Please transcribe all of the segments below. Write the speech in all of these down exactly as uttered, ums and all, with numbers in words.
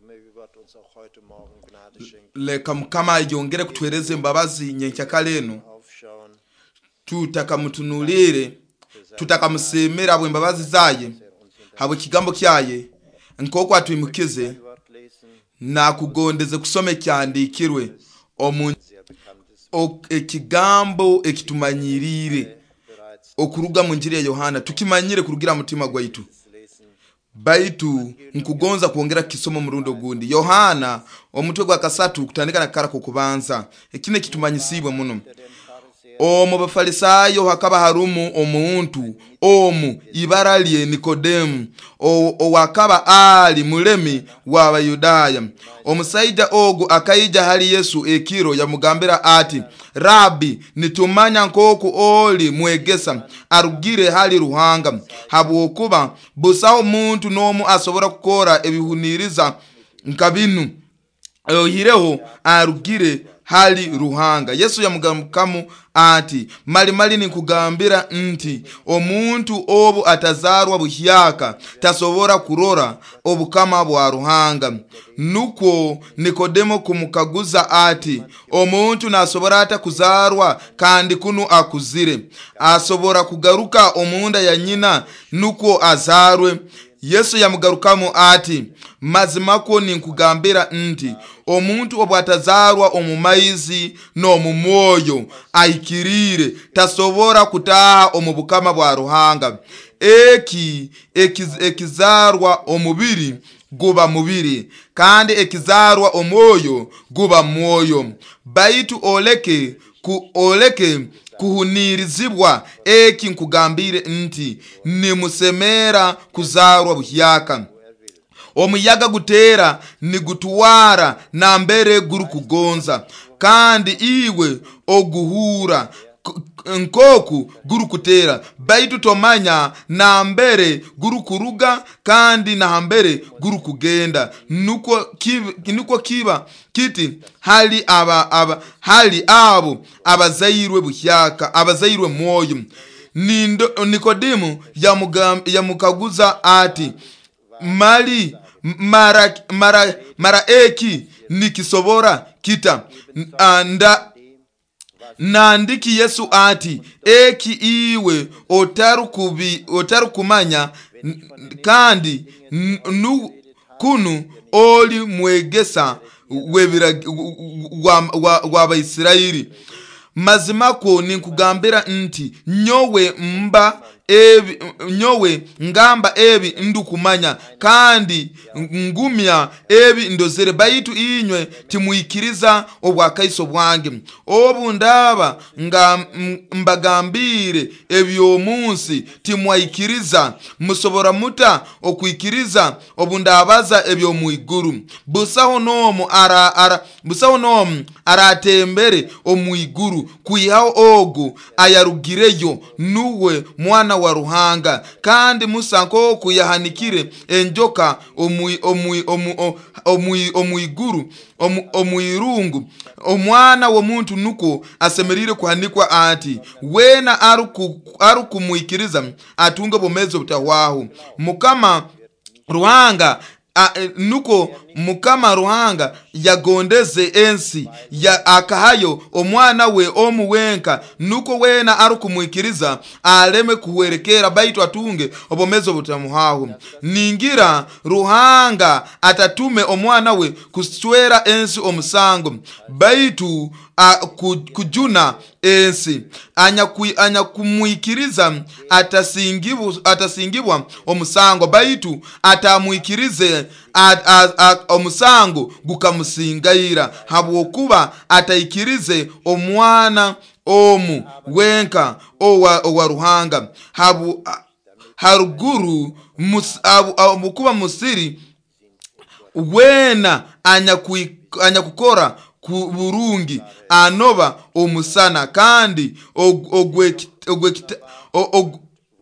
Möge Gott uns auch heute Morgen Gnade schenken. Leka Mukama ayongere kutuhereza embabazi nyenkyakara eno. Aufschauen Tutakamutunuliire, tutakamusiimira habw'embabazi zaye, habw'ekigambo kyaye nk'oku atwimukize. ein Wort lesen, Nakugondeze kusoma ekyandiikirwe omu sehr bekanntes o- ekigambo ekitumanyiriire bereits okuruga mu njiri ya Yohana, tukimanyire kurugira mutima gwaitu, lesen. baitu nkugonza kwongera kukisoma omurundi ogundi. Yohana omutwe gwa kasatu, kutandika na kakara kokubanza. Ekine kitumanyisibwe muno. Der den Pharisäern Omu bafarisayo hakaba harumu omuntu omu ibara lye Nikodemu, o- owakaba ali mulemi w'Abayudaaya. Omusaija ogu akaija hali Yesu ekiro, yamugambira ati, "Rabi, nitumanya nk'oku oli mwegesa arugire hali Ruhanga, habwokuba busaho muntu n'omu asobora kukora ebihuniriza nka binu oihireho arugire hali Ruhanga." Yesu yamugarukamu ati, "Mali mali ninkugambira nti omuntu obu atazarwa buhyaka tasobora kurora obukama bwa Ruhanga." Nukwo Nikodemo kumukaguza ati, "Omuntu nasobora ata kuzarwa kandi kunu akuzire? Asobora kugaruka omunda ya nyina nukwo azarwe?" Yesu yamugarukamu ati, "Mazima kwo ninkugambira nti omuntu obwatazarwa omu maizi n'omu mwoyo ahikiriire tasobora kutaaha omu bukama bwa Ruhanga. Eki ekiz- ekizarwa omubiri guba mubiri, kandi ekizarwa omwoyo guba mwoyo. Baitu oleke ku, oleke kuhunirizibwa eki nkugambire nti nimusemera kuzarwa buhyaka. Omuyaga gutera nigutwara nambere gurukugonza, kandi iwe oguhura k- nkoku gurukutera, baitu tomanya nambere gurukuruga kandi nambere gurukugenda. Nukwo kiba, nukwo kiba kiti hali aba, aba, hali abo abazairwe buhyaka, abazairwe mwoyo." Nindo, Nikodemu yamugam- yamukaguza ati, "Mali mara, mara, mara eki nikisobora kita?" N- ah, nda nandiki Yesu ati, "Eki iwe otarukubi otarukumanya n- kandi n- nu, kunu oli mwegesa w'ebiragi- wa- wa- w'Abaisirairi. Mazima kwo ninkugambira nti nyowe mba ebi, nyowe ngamba ebi ndukumanya, kandi ngumya ebi ndozere, baitu inywe timwikiriza obwakaiso bwange. Obu ndaba nga m- mbagambire eby'omunsi timwaikiriza, musobora muta okwikiriza obu ndabaza eby'omu iguru? Busaho n'omu ara, ara, busaho n'omu aratembere omu iguru kwihaho ogu ayarugireyo, nuwe Mwana wa Ruhanga. Kandi Musa nk'oku yahanikire enjoka omu omu omu omu omu iguru omu omu irungu, omwana w'omuntu nukwo asemeriire kuhanikwa ati, wena aruku- arukumwikiriza atunge obwomeezi obutahwaho. Mukama Ruhanga a, e, nuko Mukama Ruhanga yagondeze ensi ya akahayo omwana we omu wenka, nuko wena arukumwikiriza aleme kuhwerekera, baitu atunge obwomeezi obutamuhaho. Ningira Ruhanga atatume omwana we kuswera ensi omusango, baitu a, ku, kujuna ensi. Anyaku- anyakumwikiriza atasingibu- atasingibwa omusango, baitu atamwikirize a- a- a- omusango gukamusingaira, habwokuba ataikirize omwana omu wenka owa, owa Ruhanga. Habu, haruguru mus, abu, abu, musiri wena anyakui- anyakukora ku burungi anoba omusana, kandi og- ogweki- ogwekita- o- og-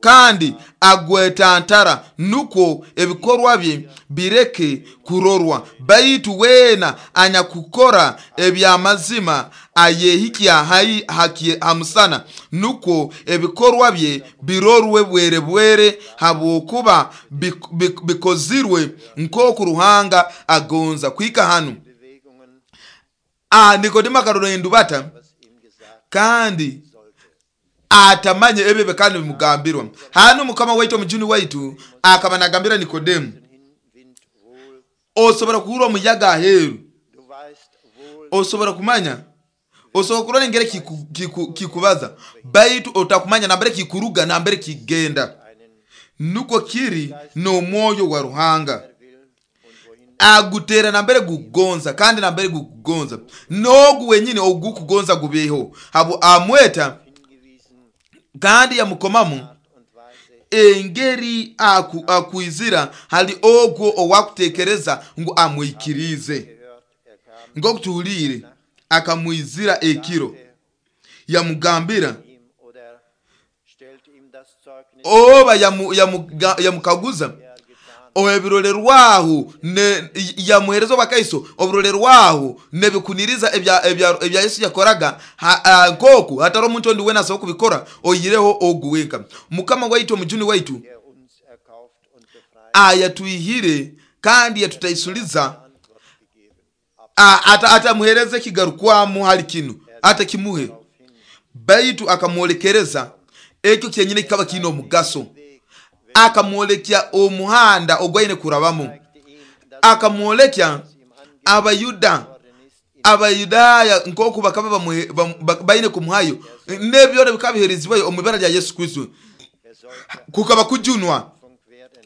Kandi agwetantara nukwo ebikorwa bye bireke kurorwa. Baitu wena anyakukora ebyamazima ayehikya hai haki hamusana, nukwo ebikorwa bye birorwe bwere bwere, habwokuba bik- bik- bikozirwe nk'oku Ruhanga agonza. Kuhika hanu Bewegungen, ah, Nikodemo akarora endubata was ihm gesagt kandi sollte. atamanye ebyo kandi bimugambirwa. Hanu Mukama waitu omujuni waitu akaba nagambira Nikodemu, Den Wind wohl, osobora kuhurra omuyaga aheeru, du weißt wohl, osobora kumanya, osobola kurora engeri kiku- kiku- kikubaza, baitu otakumanya nambere kikuruga nambere kigenda. einen Nukwo kiri n'omwoyo wa Ruhanga, er will und wohin agutera nambere gukugonza kandi nambere gukugonza n'ogu wenyini ogukugonza gubeho. Habo amweta hingewiesen kandi yamukomamu Art und Weise engeri aku, akwizira hali ogwo owakutekereza ngu amwikirize. gehört, er kam Nk'okutuhuliire akamwizira ekiro yamugambira ihm oder stellte ihm das Zeugnis, oba yamu, yamuga- yamukaguza er getan ebirolerwaho ne- yamuhereza obwakaiso oburolerwaho nebikuniriza ebya, ebya, ebya Yesu yakoraga ha- ah, nkoku hatari omuntu ondi wena asobola kubikora oyireho ogu wenka. Mukama waitu omujuni waitu der uns erkauft und befreit, ayatwihire kandi yatutaisuliza Antwort gegeben. Ab a- ata- atamuhereza ekigarukwamu hali kinu atakimuhe, darauf hin, baitu akamwolekereza ekyo kyenyine kikaba kiine omugaso. Weg Akamwolekya omuhanda ogwaine kurabamu, zeigte ihm, dass akamwolekya ihm Abayuda angeboren ist, in Abayudaaya nk'oku bakaba bamuhe- bam- ba- baine kumuhayo n'ebyona bikaba biherizibwayo omu ibara lya Yesu Kristo. er sollte Kukaba kujunwa, Funk werden,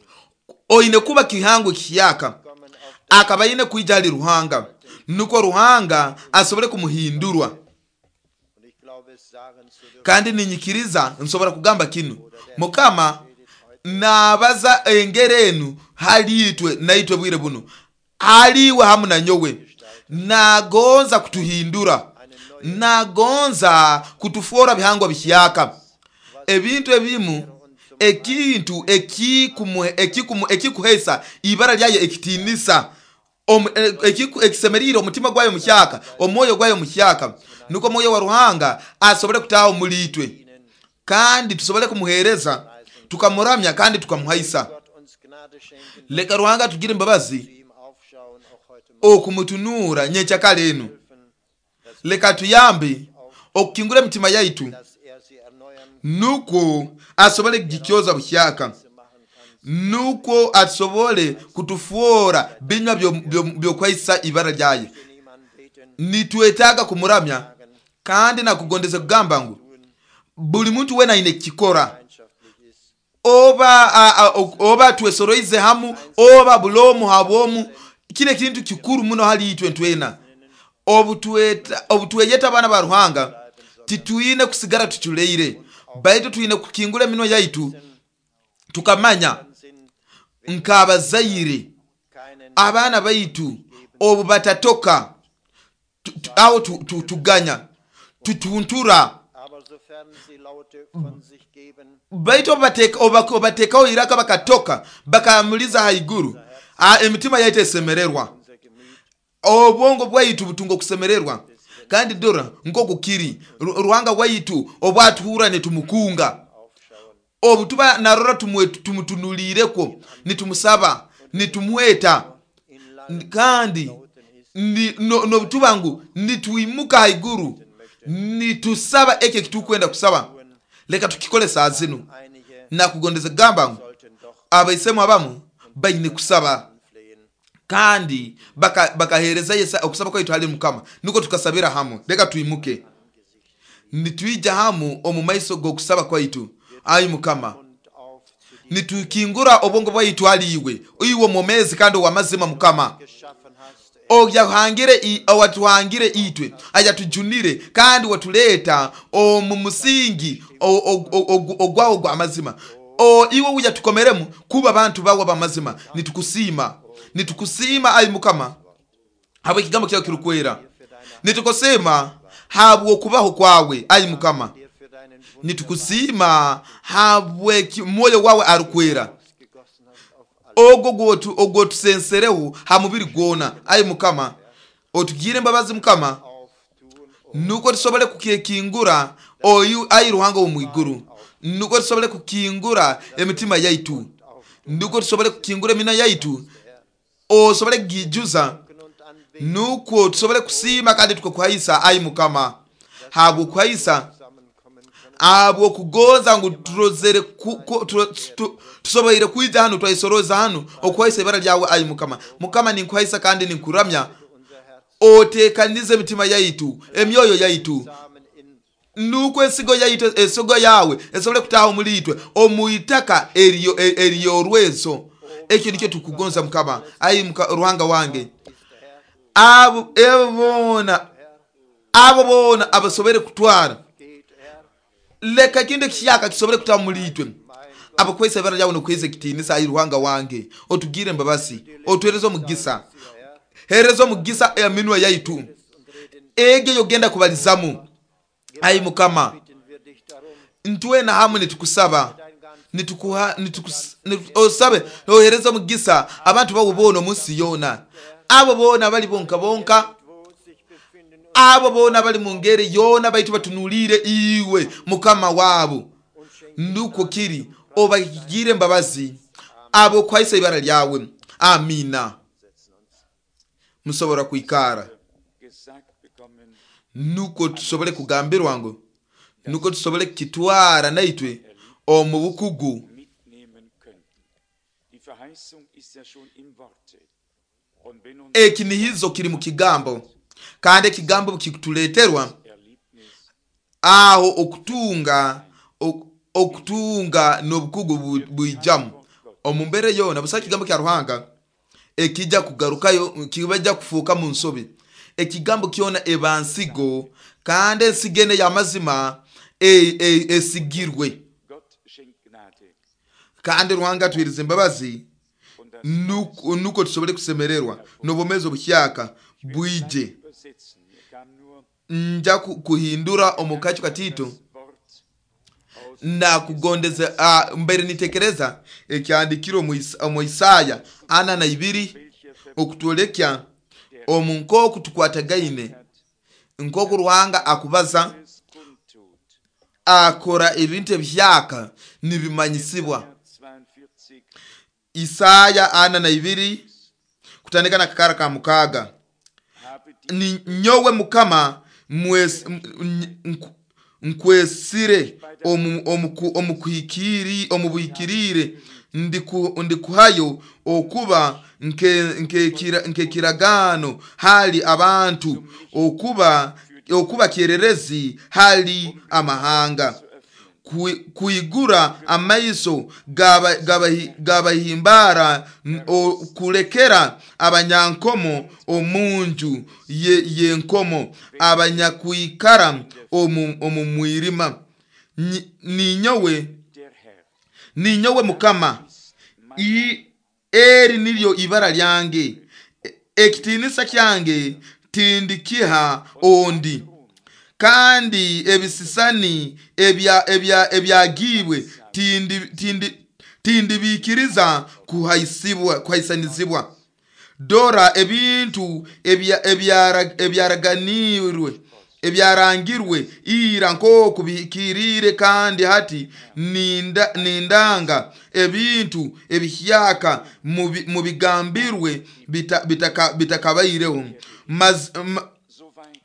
oine kuba kihango kiyaka. kommen auf Akaba aine kwija hali Ruhanga nukwo Ruhanga asobole kumuhindurwa. und ich glaube es sagen zu dürfen, Kandi ninyikiriza nsobora kugamba kinu, Mukama nabaza engeri enu hali itwe naitwe bwire buno, haliwe hamu na nyowe. Nagonza kutuhindura, nagonza kutufuora bihangwa bihyaka. Ebintu ebimu ekintu ekikumuhe- ekikumu- ekikuhesa ibara lyayo ekitinisa Omu- e- ekiku- ekisemerire omutima gwayo muhyaka, omwoyo gwayo muhyaka, nukwo omwoyo wa Ruhanga asobole kutaha omuli itwe kandi tusobole kumuhereza tukamuramya kandi tukamuhaisa. Gott uns Gnade schenken, Leka Ruhanga tugire imbabazi zu ihm aufschauen, auch heute Morgen okumutunura nyenkyakala enu. helfen, dass, Leka tuyambe okukingura emitima yaitu dass er sie erneuern nukwo asobole kugikyoza buhyaka, machen kann. nukwo asobole kutufuora binywa byo- byo- byokwaisa ibara lyaye. Wir ihm anbeten, Nitwetaaga kumuramya kandi nakugondeza kugamba ngu buli muntu wena aine kukikora, gemeinschaftlich ist, oba a, a, o- oba twesoroize hamu oba bulomu habwomu, kile kintu kikuru muno hali itwe ntwena. Obutweta obutweyeta abaana ba Ruhanga titwine kusigara tuculeire, baitu twine kukingura eminwa yaitu tukamanya sind nk'abazaire keinen abaana baitu obu batatoka tu- tu- aho tu- tu- tuganya tutuntura, aber sofern sie Laute von sich geben, baitu obubateka- oba- obatekaho iraka bakatoka bakamuliza haiguru, ah, emitima yaitu esemererwa, unser Gemüt obwongo bwaitu butunga okusemererwa. Kandi dora nk'okukiri Ru- Ruhanga waitu obwatuhura nitumukunga, aufschauen, obu tuba narora tumwe- tumutunulireko nitumusaba nitumweta, in langen kandi Lauten ist, ni- no- nobutuba ngu nitwimuka haiguru nitusaba ekyo ekitukwenda kusaba. Leka tukikole saa zinu. einige Nakugondeza kugamba ngu sollten doch abaisemu abamu baine kusaba anflehen. kandi baka- bakahereza yesa okusaba kwaitu hali Mukama, nukwo tukasabira hamu. Leka twimuke nitwija hamu omu maiso g'okusaba kwaitu. Ayi Mukama, Und auf zu dir nitukingura obwongo bwaitu hali iwe, iwe omwomezi kandi owamazima Mukama, geschaffen hast, oyahangire i- owatuhangire itwe, ayatujunire kandi watuleeta omu musingi o- o- o- ogu- ogwawo gw'amazima. O iwe uyatukomeremu kuba bantu bawe b'amazima. Nitukusiima, nitukusiima ayi Mukama habwa ekigambo kyawe kirukwera. für deine Nitukusiima habw'okubaho kwawe ayi Mukama. dir für Nitukusiima habweki mwoyo wawe arukwera ogwo ogwo tusensereho ha mubiri gwona. Ayi Mukama, otugire embabazi Mukama, nuko tusobole kukingura oyu ayi Ruhanga wo mwiguru, nuko tusobole kukingura emitima yaitu, nuko tusobole kukingura emina yaitu, osobole kugijuza, nuko tusobole kusiima kandi tukakuhaisa ayi Mukama, habwokuhaisa abwo kugonza ngu turozere tusoboire kwija hano twaisoroza hano okuhaisa ibara lyawe ayi Mukama. Mukama, ninkuhaisa kandi ninkuramya, otekanize emitima yaitu, emyoyo yaitu, nuko ensigo yaitu, ensigo yawe esobole kutaha omuli itwe omuitaka eriyo eriyorwezo. Ekyo nikyo tukugonza Mukama ayi Ruhanga wange. Abo bona abo bona abasobere kutwara leka kinde kiyaka kisobole kutaha omuli itwe, abakwesa ibara lyawe nokweza ekitinisa ayi Ruhanga wange. Otugire embabasi, otwereze omugisa, hereza omugisa eminwa yaitu ege yogenda kubalizamu ayi Mukama. Ntwena hamwe nitukusaba, nitukuha nitukusabe ohereza omugisa abantu bawo bona omunsi yona, abo bona bali bonka bonka, abo bona bali mu ngeri yona baitu batunulire iwe Mukama wabo. Nuko kiri obagire embabazi abo kwaisa ibara lyawe. Amina. Musobora kuikara. Nuko tusobole kugambirwa ngo nuko tusobole kitwara naitwe omu bukugu. Ekinihizo kiri mu kigambo, kandi ekigambo kikutuleterwa aho okutunga okutunga n'obukugu buijamu omu mbere yona. Busa kigambo kya Ruhanga ekijja kugarukayo kibajja kufuuka mu nsobi. Ekigambo kyona ebansigo, kandi ensigo ene y'amazima esigirwe, kandi Ruhanga atwirize embabazi nuko tusobole kusemererwa n'obwomeezi obuhyaka bwije. Nja kuhindura omukacho katito na kugondeza uh, mbere nitekereza ekyandikiro omu Isaya ana na ibiri okutwolekya omu nkoku tukwatagaine, nkoku Ruhanga akubaza akora ebintu ebihyaka nibimanyisibwa. Isaya ana na ibiri kutandika na kakara ka mukaga. Ni nyowe Mukama nkwesire omukuhikiri omubuhikirire ndikuhayo okuba nkekiragano hali abantu, okuba okuba kyererezi hali amahanga, kuigura amaiso gabahimbara, kulekera abanyankomo omunju yenkomo, abanyakuikara omu mwirima. Ninyowe ninyowe Mukama, eri nilyo ibara lyange, ekitinisa kyange tindikiha ondi, kandi ebisisani ebya ebya ebyagibwe tindi tindi tindibikiriza kuhaisibwa kuhaisanizibwa. Dora ebintu ebya ebyaraganirwe ebyarangirwe ira nkoku bihikirire, kandi hati ninda nindanga ebintu ebihyaka mubigambirwe bitakabaireho.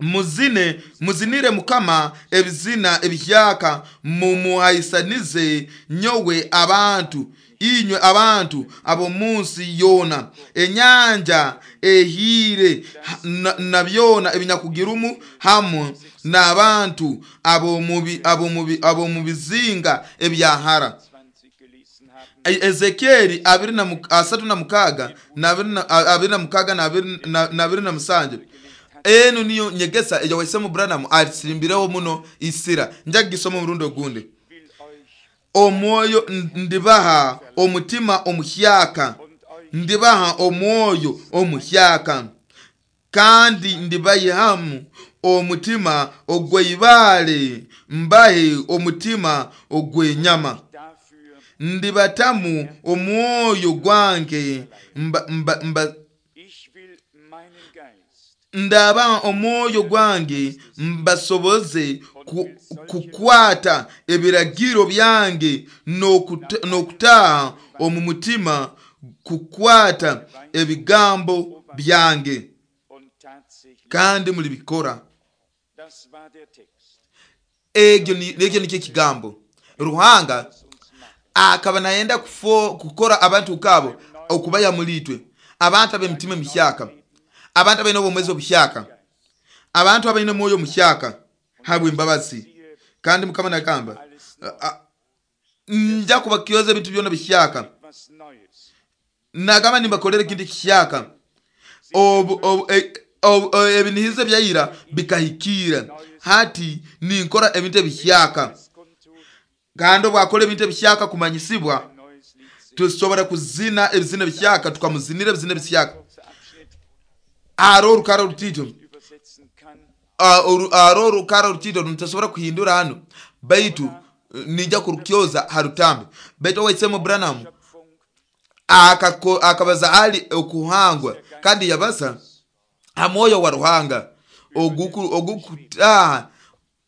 Muzine muzinire Mukama ebizina ebihyaka, mumuhaisanize nyowe abantu, inywe abantu abo munsi yona. Enyanja ehire na, na byona ebinyakugirumu hamwe n'abantu abo mubi abo mubi abo mubizinga ebyahara. Ezekieli abiri na asatu na mukaga na abiri na mukaga na abiri na musanje. Eno niyo nyegesa eja waisemu Branham atirimbireho muno isira. Nja gisoma murundo gunde. Omwoyo ndibaha omutima omuhyaka, ndibaha omwoyo omuhyaka, kandi ndibayihamu omutima ogw'eibaale, mbahe omutima ogw'enyama. Dafür Ndibatamu omwoyo gwange mba, mba, mba, ich will meinen Geist ndaba omwoyo gwange mbasoboze ku, kukwata ebiragiro byange n'okuta- n'okutaaha omu mutima kukwata ebigambo byange und tatsächlich kandi mulibikora. das war der Text Ekyo ni- ekyo nikyo ekigambo Ruhanga das uns macht akaba nayenda kufo kukora abantu kabo okubaya mulitwe, abantu ab'emitima emihyaka, abantu abaine obwomezi obuhyaka, abantu abaine omwoyo omuhyaka habwe embabazi. Kandi Mukama nagamba, alles neu "A- a- nja kubakyoza ebintu byona bihyaka, was Neues nagamba nimbakolera ekintu kihyaka. Obu- obu- e- obu- o- ebinihizo ebyaira bikahikira, hati ninkora ebintu ebihyaka. es kundtut Kandi obwakora ebintu ebihyaka kumanyisibwa, ein neues Lied singen tusobora kuzina ebizina ebihyaka, tukamuzinira ebizina ebihyaka. kurzer Abschnitt Hariho orukara orutiito, übersetzen kann ah, oru- hariho orukara orutiito nitasobora kuhindura hano, baitu eh, ninja kurukyoza ha rutambi. Baitu owaisemu Branham Schöpfung akako- akabaza ali okuhangwa, kandi yabaza ha mwoyo wa Ruhanga oguku- ogukutaha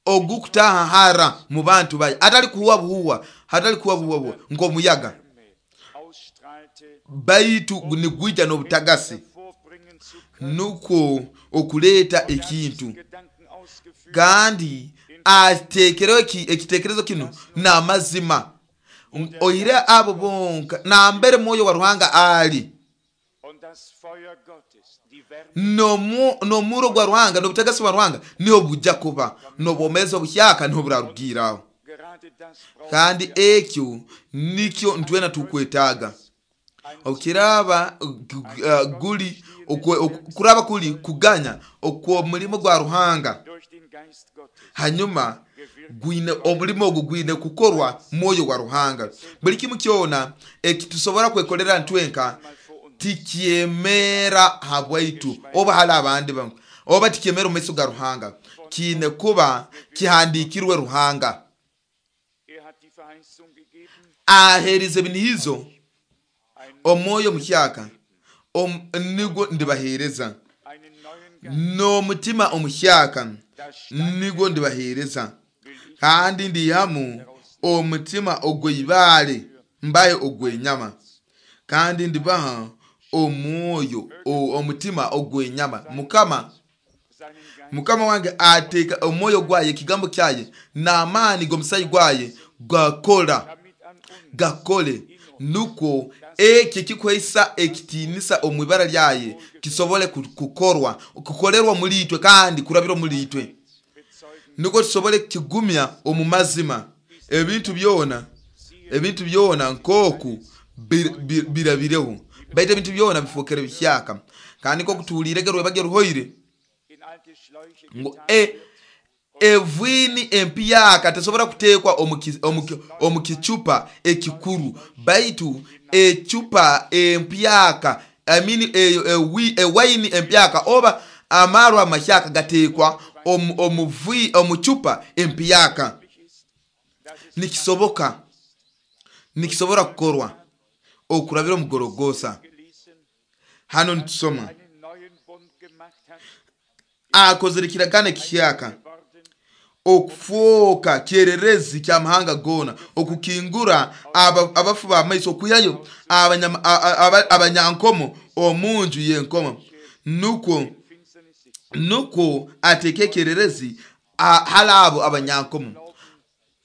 ogukutaha hara mu bantu baye, atali kuhuwa buhuwa, hatali kuhuwa buhuwa buhuwa nk'omuyaga, Wärme ausstrahlte baitu nigwija n'obutagasi, hervorbringen zu können nukwo okuleeta Und er hat ekintu. diesen Gedanken ausgeführt Kandi ateekereho eki- ekiteekerezo kino n'amazima, oire abo bonka nambere mwoyo wa Ruhanga ali und das Feuer Gottes die Wärme n'omu- n'omuro gwa Ruhanga n'obutagasi bwa Ruhanga niho bujja kuba n'obwomezi obuhyaka niho burarugiiraho. gerade das brauchen Kandi wir ekyo nikyo ntwena tukwetaaga. ein Okiraba gu- gu- guli okwe- ok- kuraba kuli kuganya okw'omulimo gwa Ruhanga, durch den Geist Gottes hanyuma gwine omulimo ogwo gwine kukorwa mwoyo wa Ruhanga. Buli kimu kyona ekitusobora kwekolera ntwenka mal vor uns tikyemera habwaitu oba hali abandi bamwe, oba tikyemera omu maiso ga Ruhanga, kiine kuba kihandikirwe Ruhanga. er hat die Verheißung gegeben Aheerize ebinihizo ein omwoyo omuhyaka om- nigwo ndibaheereza, einen neuen Geist n'omutima omuhyaka das Stein nigwo ndibaheereza, will ich kandi ndihamu omutima ogw'ibaale mbahe ogw'enyama, kandi ndibaha omwoyo o- omutima ogw'enyama. Mukama seinen Geist Mukama wange ateeka omwoyo gwaye, ekigambo kyaye n'amaani g'omusayi gwaye gakora damit an uns gakole, nukwo ekyo ekikuhaisa ekitiinisa omu ibara lyaye kisobole ku- kukorwa kukolerwa muri itwe kandi kurabira muri itwe, bezeugen nukwo tusobole kukigumya omu mazima ebintu byona ebintu byona nk'oku bir- bir- birabireho, baitu ebintu byona bifookere bihyaka. Kandi nk'oku tuhuliirege rwebage ruhoire in alte Schläuche ngu getan e wird evwini empyaka tesobora kuteekwa omu ki- omu ki- omu kicupa ekikuru, baitu ecupa empyaka I mean, e, e, wi- ewayini empyaka oba amarwa amahyaka gateekwa omu, omu, vi- omu cupa empyaka. möglich ist dass es Nikisoboka, nikisobora kukorwa okurabira omugorogosa. gelesen Hano nitusoma einen neuen Bund gemacht hat akozere ekiragano ekihyaka geworden okufooka kyererezi kyamahanga gona, okukingura aba- abafu b'amaiso, okwihayo abanyama- a- a- aba- abanyankomo omu nju y'enkomo, nukwo in Finsternis sitzen nukwo ateeke ekyererezi a- hali abo abanyankomo.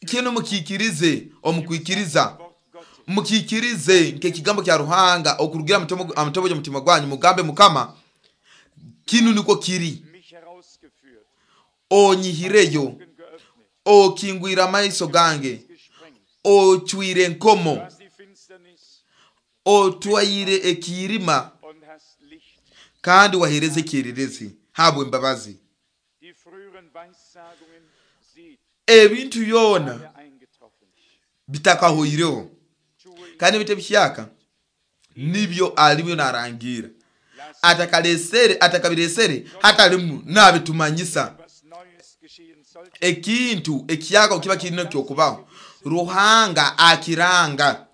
Kinu mukikirize omukwikiriza, Wort Gottes mukikirize nk'ekigambo kya Ruhanga okurugira amutobo gy'omutima gwanyu, mugambe Mukama kinu nikwo kiri, mich herausgeführt onyihireyo, Augen geöffnet okingwire amaiso gange, gesprengt ocwire enkomo, du hast die Finsternis otwaire ekiirima und hast Licht kandi wahereza ekyererezi habwe embabazi. die früheren Weissagungen sieht Ebintu byona alle eingetroffen bitakahoireho, tue ich kandi ebintu ebihyaka nibyo alibyo narangira, lass atakalesere atakabiresere hatalimu nabitumanyisa. was Ekintu ekiyaka kiba kirina kyokubaho, Ruhanga akiranga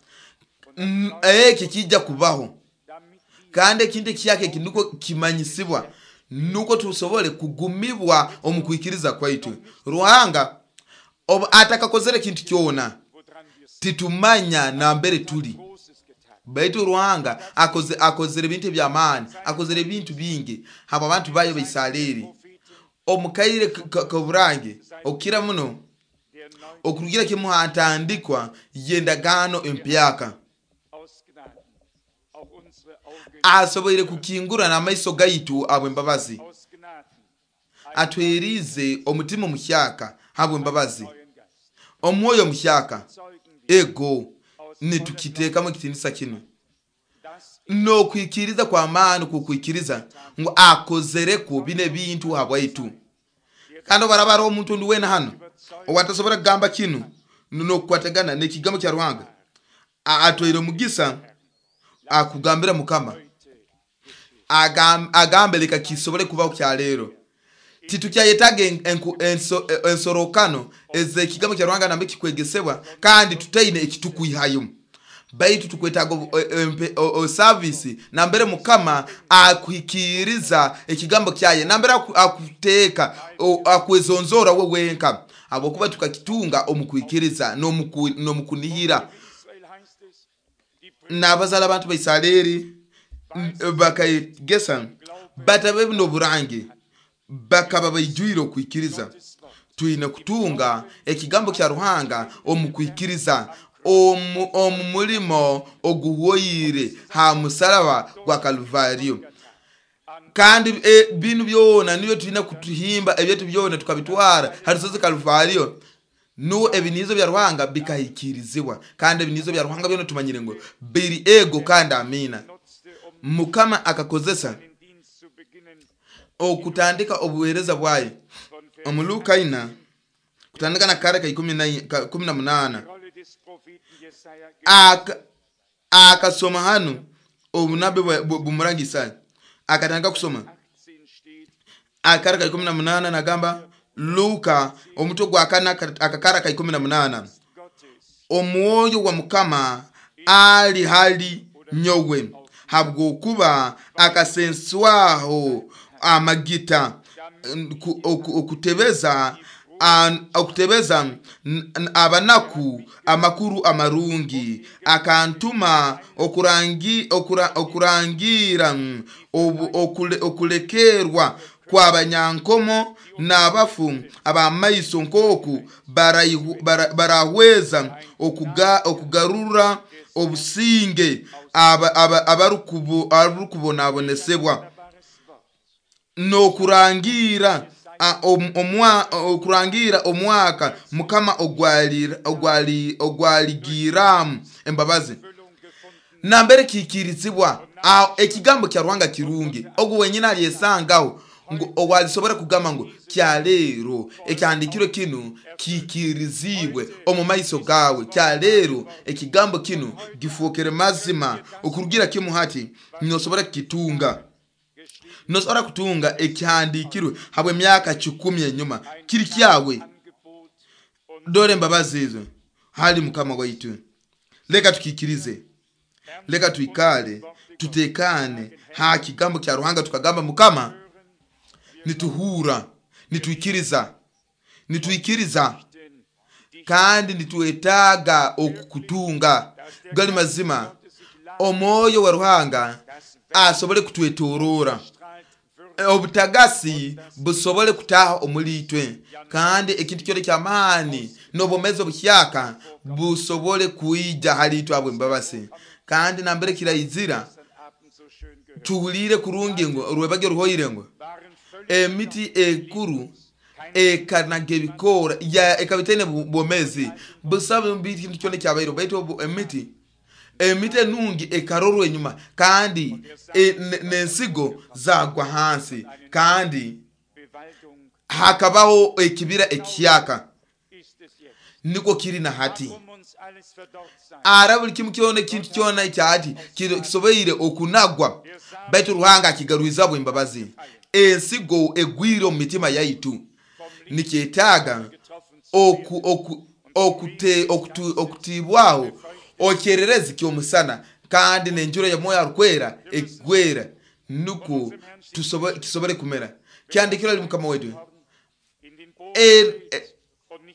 eki kijja kubaho, kandi ekintu ekiyaka eki nukwo kimanyisibwa, nukwo tusobole kugumibwa omu kwikiriza kwaitu. Ruhanga obu atakakozere ekintu kyona titumanya nambere tuli, baitu Ruhanga akoze akozere ebintu eby'amaani, akozere ebintu bingi habo abantu bayo Baisareri omukaire koburange okukira muno okurugira kimu hatandikwa y'endagaano empyaka. Asoboire kukingura n'amaiso gaitu habw'embabazi, atwerize omutima omuhyaka habw'embabazi, omwoyo omuhyaka. Ego nitukiteekamu ekitiinisa kinu n'okwikiriza kw'amaani, kukwikiriza ngu akozerekwo bino ebintu habwaitu. Kandi obaraba hariho omuntu ondi weena hano owatasobora kugamba kinu n'okukwatagana n'ekigambo kya Ruhanga, atwaire omugisa akugambira Mukama, agambe leka kisobole kubaho kya leero. Titukyayetaaga ensorokano ez'ekigambo kya Ruhanga nambe kikwegesebwa kandi tutaine ekitukwihayo, baitu tukwetaaga osavisi nambere Mukama akuhikiriza ekigambo kyaye, nambere akuteeka akwezonzora we wenka, habwokuba tukakitunga omu kwikiriza n'omukunihira. N'abazaala abantu ba Isareri bakayegesa batabe n'oburangi, bakaba baijwire okwikiriza. Twine kutunga ekigambo kya Ruhanga omu kwikiriza, omu mulimo oguhwoire ha musalaba gwa Kalvario. Kandi e, binu byona nibyo tulina kutuhimba ebyetu byona tukabitwara harusozi Kalvario, nuwo ebinizo bya Ruhanga bikahikirizibwa. Kandi ebinizo bya Ruhanga byona tumanyire ngo biri ego kandi amina. Mukama akakozesa okutandika obuweereza bwaye omu Luka ina kutandika na kare ka ikumi na munana, akasoma hano obunabbi bumurangi Isaya, akatandika kusoma akara ka ikumi na munana, nagamba Luka omutwe gwa kana akakara ka ikumi na munana, omwoyo wa Mukama ali hali nyowe, habwokuba akasenswaho amagita okutebeza okutebeza abanaku amakuru amarungi, akantuma okurangi okurangira okulekerwa kw'abanyankomo n'abafu ab'amaiso, nk'oku barahweza okugarura obusinge abarukubonabonesebwa, n'okurangira okurangira omwaka Mukama ogwaligiramu embabazi. Nambere kikirizibwa ekigambo kya Ruhanga kirungi, ogu wenyine alyesangaho ngu owalisobora kugamba ngu kyaleero ekyandikirwe kinu kikirizibwe omu maiso gawe, kyaleero ekigambo kinu gifuukire mazima okurugira kimu hati nosobora kukitunga. Nosobora kutunga ekihandikirwe habw'emyaka kikumi enyuma kiri kyawe. Dore embabazi ezo hali Mukama waitu. Leka tukikirize, leka tuikale tutekane ha kigambo kya Ruhanga, tukagamba Mukama nituhura, nituikiriza, nituikiriza kandi nituetaaga okukutunga. Gali mazima omwoyo wa Ruhanga asobole kutwetorora, obutagasi busobole kutaha omulitwe, kandi ekintu kyona ky'amaani n'obwomezi obuhyaka busobole kwija halitwe habw'embabazi. Kandi nambere kiraizira tuhulire kurungi ngo orwebagyo ruhoire ngo emiti ekuru ekanaga ebikoora ekabitaine bwomezi busabe bintu kyona kyabaire, baitu emiti emiti enungi ekarorwa enyuma, kandi n'ensigo zagwa hansi, kandi hakabaho ekibira ekihyaka. Nikwo kiri na hati. Ara buli kimu kyona ekintu kyona ekyati kisoboire okunagwa, baitu Ruhanga akigarwiza bw'embabazi. Ensigo egwire omu mitima yaitu, Nikyetaaga oku, oku, okute, okutu, okutibwaho okyererezi ky'omusana kandi n'enjura ya Mwoyo Arukwera egwera, nukwo tusobo- kisobole kumera. Kyandikirwa ali Mukama wetu, E- e-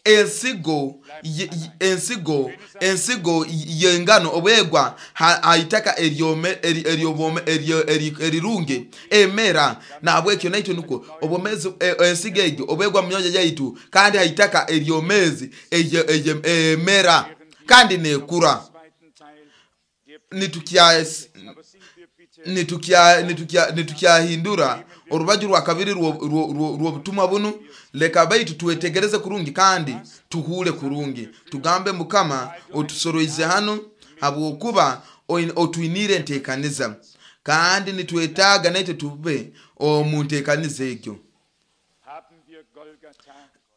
ensigo ye- ye- ensigo ensigo y'engano obwegwa ha ha itaka eryome eri- eryobwome- eryo- eri- erirungi emera. Nahabwekyo naitwe nukwo obwomezi, e- ensigo egyo obwegwa mu myoyo yaitu kandi ha itaka eryomezi eryo- eryo- emera kandi nekura. Zweiten Teil der Nitukya Aber sind wir bitte nitukya nitukya nitukyahindura orubaju rwa kabiri rwo- rwo- rwo- rw'obutumwa bunu. Leka baitu twetegereze kurungi kandi tuhuule kurungi, tugambe Mukama otusoroize hano habwokuba oin- otwiniire enteekaniza, kandi nitwetaaga naitwe tube omu nteekaniza egyo. haben wir Golgatha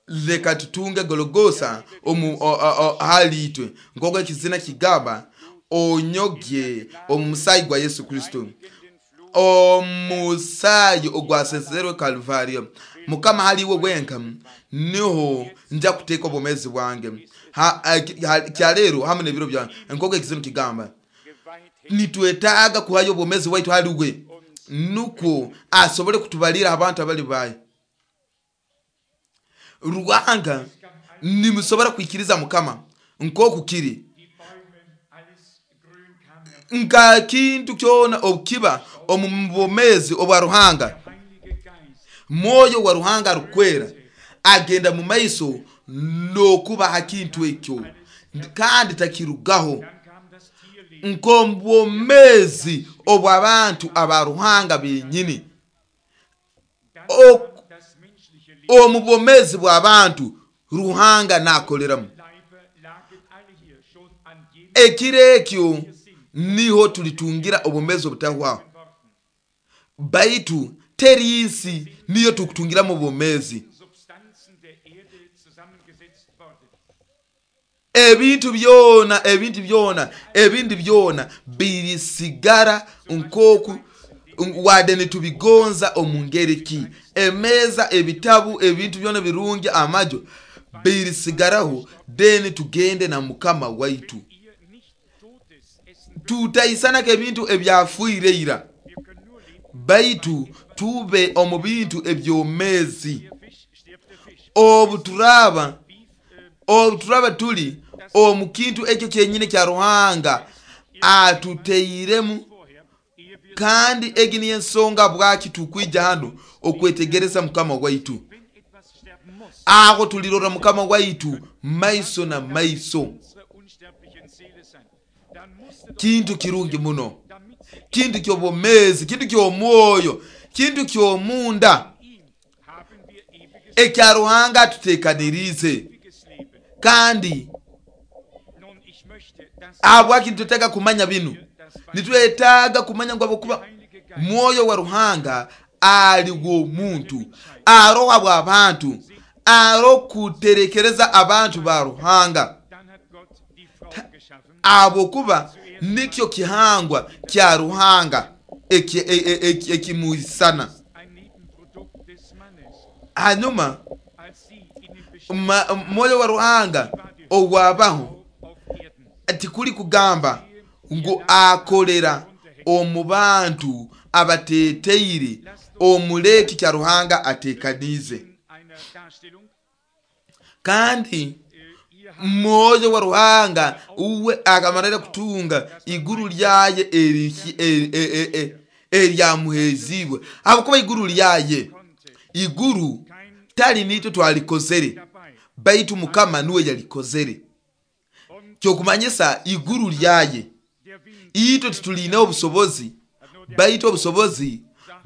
Leka tutunge Gologosa omu o- o- o- hali itwe, nk'oku ekizina kigamba, onyogye omu musaayi gwa Yesu Kristo, in den Flug omusaayi ogwasezerwe Kalvario. Mukama, haliwe wenka niho nja kuteeka obwomezi bwange. Ha- ha- ha- kyaleero hamu n'ebiro byange, nk'oku ekizina kigamba. geweiht Nitwetaaga kuhayo obwomezi bwaitu haliwe, nukwo asobole kutubalira abantu abali baye. Ruhanga, nimusobora kwikiriza Mukama nk'oku kiri, die Bäume, alles grün kam. nka kintu kyona obukiba omu bwomezi obwa Ruhanga. Heilige Geist Mwoyo wa Ruhanga arukwera agenda mu maiso n'okuba ha kintu ekyo kandi takirugaho. Dann kam das Tierleben. Nk'omubwomezi obw'abantu aba Ruhanga benyini, Dann Ok- kam das menschliche Leben. omu bwomezi bw'abantu Ruhanga nakoleramu. Leibe lagen alle hier schon an jenem Ekiro ekyo niho tulitungira obwomezi obutahwaho, Worten. baitu teri nsi niyo tukutungiramu obwomezi. Substanzen der Erde zusammengesetzt worden. Ebintu byona, ebintu byona, ebindi byona birisigara nkoku wadde nitubigonza omu ngeri ki. Emeeza, ebitabu, ebintu byona birungi, amajo birisigaraho, then tugende na Mukama waitu. Ihr nicht Totes essen Tutaisanako ebintu ebyafuire ira, Wir können nur leben. baitu tube omu bintu ebyomezi. Der Fisch stirbt der Fisch. Obu turaba Beef, äh, obu turaba tuli omu kintu ekyo kyenyini kya Ruhanga atuteiremu. vorher, ehe wir, Kandi egi niyo ensonga bwaki tukwija hano okwetegereza Mukama waitu. wenn etwas sterben muss, Aho tulirora Mukama waitu maiso na maiso. unsere unsterblichen Seele sein. Dann musste doch, Kintu kirungi muno, damit sie kintu ky'obwomezi, kintu ky'omwoyo, kintu ky'omunda in ihm haben wir ewiges, ekya Ruhanga atuteekaniriize. ewiges Leben. Kandi Nun, ich möchte, dass habwaki nitwetaaga kumanya binu? das Nitwetaaga kumanya ngu habwokuba Mwoyo wa Ruhanga ali w'omuntu, aroha bw'abantu, arokuterekereza abantu ba Ruhanga, Dann hat Gott die Frau geschaffen, habwokuba nikyo kihangwa kya Ruhanga eki- e- e- eki- ekimuisana. ein Nebenprodukt des Mannes. Hanyuma Als sie in den Bestand ma- Mwoyo wa Ruhanga ogwabaho auf Erden tikuli kugamba ngu akolera omu bantu abateteire omuleki kya Ruhanga atekaniize. in einer Darstellung, Kandi äh, ihr habt Mwoyo wa Ruhanga uwe akamalira kutunga iguru lyaye eriki- eri- e- e- e- eryamuhezibwe, habwokuba iguru lyaye, konnte iguru kein tali nitwe twalikozere, dabei baitu Mukama niwe yalikozere. und Kyokumanyisa iguru lyaye, der Wind itwe tituliine obusobozi, baitu obusobozi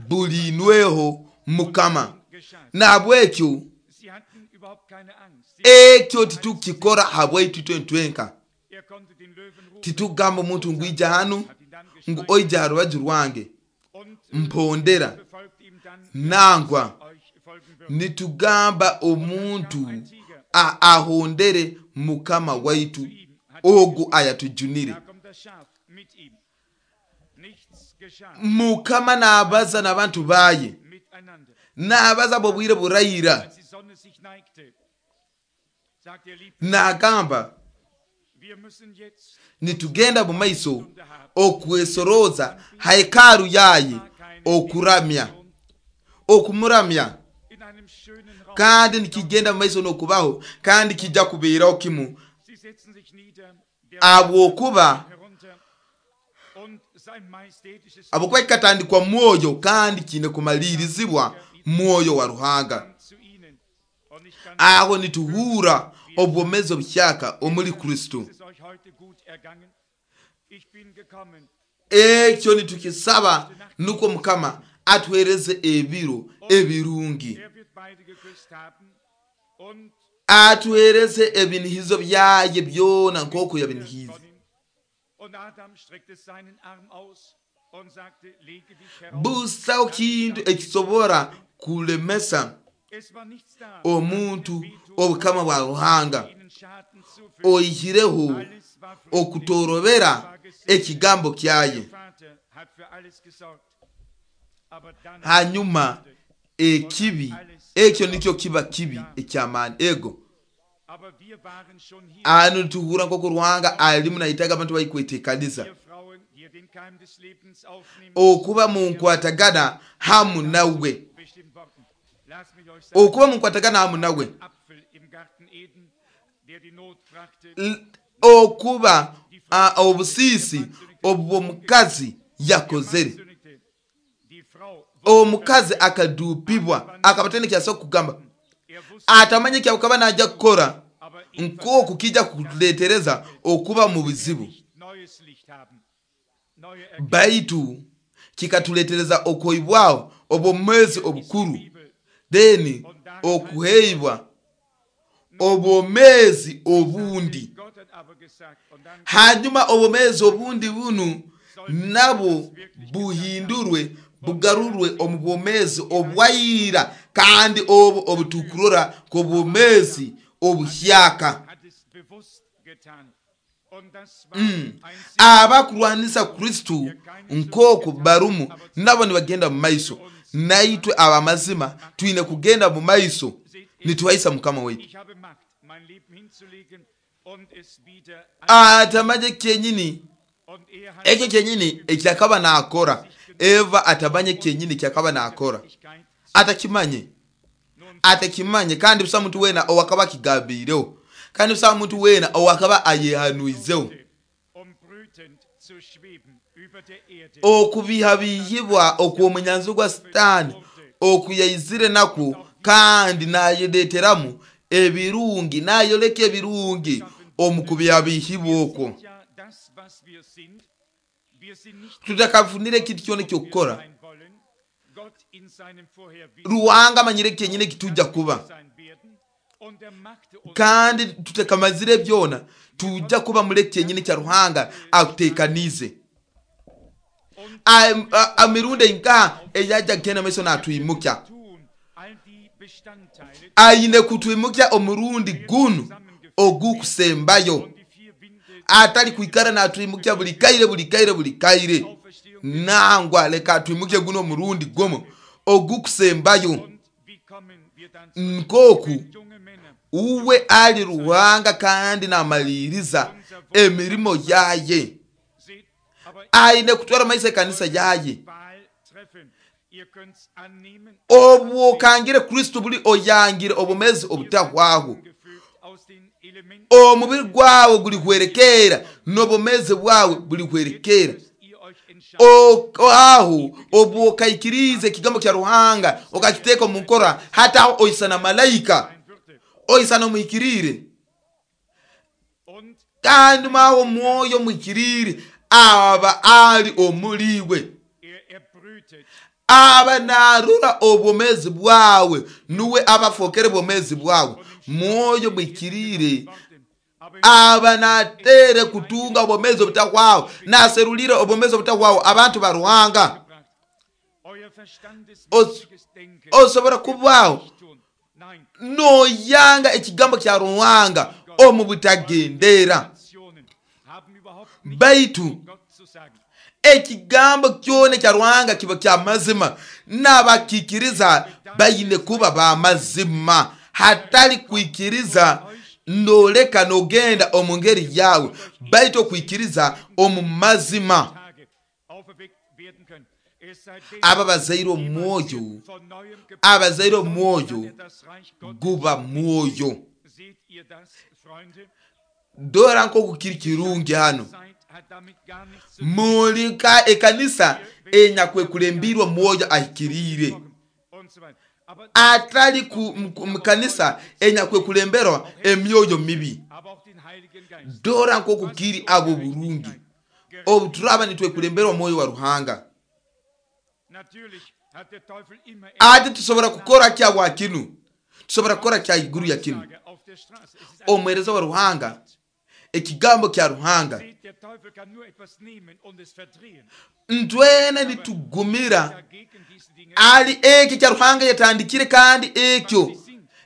bulinweho Mukama. geschah. Nahabwekyo Sie hatten überhaupt keine Angst. Sie, ekyo titukikora habwaitu itwe ntwenka. er konnte den Löwen rufen, Titugamba omuntu ngu ija hanu, hat ihn dann ngu gestreichelt oija ha rubaju rwange und mpondera befolgt ihm dann, nangwa. euch folgen wird. Nitugamba omuntu a- ahondere Mukama waitu ogu ayatujunire. Da kommt das Schaf mit ihm. Nichts geschah Mukama n'abaza n'abantu baye, miteinander. n'abaza bwobwire burayira. Als die Sonne Nagamba nitugenda mu maiso okwesoroza hekalu yaye okuramya okumuramya, kandi nikigenda mu maiso n'okubaho, kandi kijja kubeeraho kimu abwokuba abwokuba kikatandikwa mwoyo kandi kiine kumalirizibwa mwoyo wa Ruhanga. Aho nituhura obwomezi obuhyaka omuli Kristo. Ekyo nitukisaba nukwo Mukama atuhereze ebiro ebirungi, atuhereze ebinihizo byaye byona nk'oku yabinihize. Busaho kintu ekisobora kulemesa omuntu obukama bwa Ruhanga oihireho okutorobera ekigambo kyaye. Hanyuma ekibi ekyo nikyo kiba kibi ekyamani ego. Ano tuhura nk'oku Ruhanga alimu nahitaga abantu bayikwetekaniza okuba mu nkwatagana hamu nawe, okuba mu nkwatagana hamu nawe, okuba obusisi obw'omukazi yakozere. Omukazi akadupibwa akabatene kyasa kugamba atamanye kyakaba najja kukora nk'oku kijja kuletereza okuba mu bizibu, baitu kikatuletereza okoibwao obwomezi obukuru, deni okuheibwa obwomezi obundi. Hanyuma obwomezi obundi bunu nabo buhindurwe bugarurwe omu bwomezi obwaira, kandi obu obutukurora k'obwomezi obuhyaka. Mm. Abakurwanisa Kristo nk'oku barumu nabo nibagenda mu maiso, naitwe abamazima twine kugenda mu maiso nituhaisa Mukama waitu. Atamanye kyenyini ekyo kyenyini ekyakaba nakora. Eva atamanye kyenyini kyakaba nakora, atakimanye atakimanye, kandi busa muntu wena owakaba kigambireho, kandi busa muntu wena owakaba ayehanuizeho. Okubihabihibwa okw'omunyanzi gwa Sitaani okuyaizire nakwo, kandi nayeleteramu ebirungi, nayoleka ebirungi omu kubihabihibwa okwo. Tutakafunire ekintu kyona ekyokukora, Ruhanga amanyire kyenyini ekitujja kuba, kandi tutakamazire byona tujja kuba mule kyenyini kya Ruhanga akutekanize. Amirundi enka eyajja kugenda maiso natwimukya, aine kutwimukya omurundi gunu ogukusembayo, atali kwikara natwimukya buli kaire buli kaire buli kaire. Nangwa leka atwimukye guno omurundi gumu ogukusembayo, nkoku uwe ali Ruhanga kandi namaliriza emirimo yaye. Aine kutwara maiso ekanisa yaye. Obwokangire Kristo buli oyangire obumezi obutahwaho, omubiri gwawe gulihwerekera n'obumezi bwawe bulihwerekera. Aho obwokaikirize ekigambo kya Ruhanga okakiteeka omu nkora, hata oisana malaika oisana omuhikirire, kandi mawo mwoyo muhikirire aba ali omuliwe, aba narura obwomezi bwawe, nuwe abafokere bwomezi bwawe. Mwoyo muhikirire aba natere kutunga obwomezi obutahwaho, naserulire obwomezi obutahwaho abantu ba Ruhanga. Osobora kubaho noyanga ekigambo kya Ruhanga omu butagendera, baitu ekigambo kyona kya Ruhanga kiba kya mazima, n'abakikiriza bayine kuba bamazima. Hatali kwikiriza noleka nogenda omu ngeri yawe, baitu okwikiriza omu mazima. Aba bazaire omwoyo, abazaire omwoyo guba mwoyo. Dora nkoku kiri kirungi hano. Mulika ekanisa enyakwekulembiirwe mwoyo ahikiriire, atali ku mukanisa enyakwekulemberwa emyoyo mibi. Dora nkoku kiri abo burungi obu turaba nitwekulemberwa mwoyo wa Ruhanga. Ati tusobora kukora kya bwa kinu, tusobora kukora kya iguru ya kinu. Omwereza wa Ruhanga, ekigambo kya Ruhanga, ntwena nitugumira ali eki kya Ruhanga yatandikire, kandi ekyo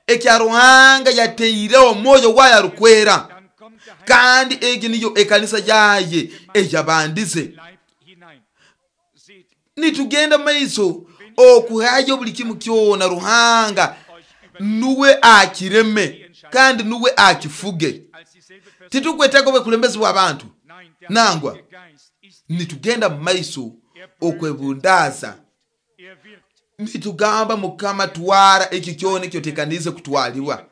ekya Ruhanga yateireho mwoyo wayo arukwera, kandi eki niyo ekanisa yaye eyabandize. Nitugenda maiso okuhayo buli kimu kyona Ruhanga nuwe akireme kandi nuwe akifuge. Titukwetaaga obwekulembezi bw'abantu nangwa. Nitugenda maiso okwebundaza, nitugamba Mukama twara ekyo kyona ekyotekanize kutwalibwa,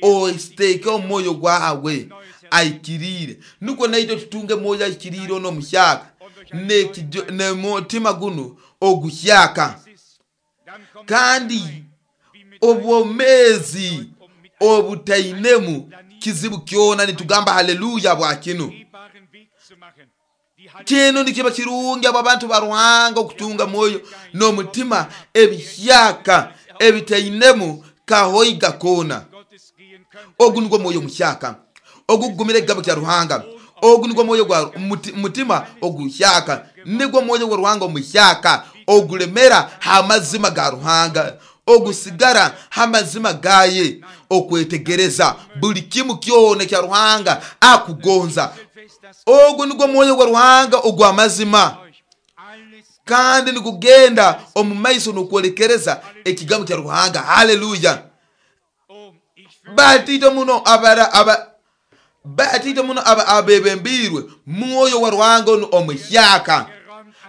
ositeeke omwoyo gwawe aikiriire, nukwo naitwe tutunge mwoyo aikiriire ono omuhyaka nemutima guno oguhyaka, kandi obwomezi obutainemu kizibu kyona. Nitugamba haleluya bwa kinu. Kinu nikiba kirungi abo abantu ba Ruhanga okutunga mwoyo n'omutima ebihyaka ebitainemu kahoiga kona. Ogu nigwo mwoyo muhyaka ogugumira ekigambo kya Ruhanga. Ogu nigwo mwoyo gwa mutima oguhyaka, nigwo mwoyo gwa Ruhanga omuhyaka ogulemera hamazima ga Ruhanga, ogusigara hamazima gaye, okwetegereza buli kimu kyona kya Ruhanga akugonza. Ogu nigwo mwoyo gwa Ruhanga ogw'amazima, kandi nikugenda omu maiso n'okwolekereza ekigambo kya Ruhanga. Haleluya. Batito muno abara aba batito muno aba abebembirwe mwoyo wa Ruhanga ono omuhyaka.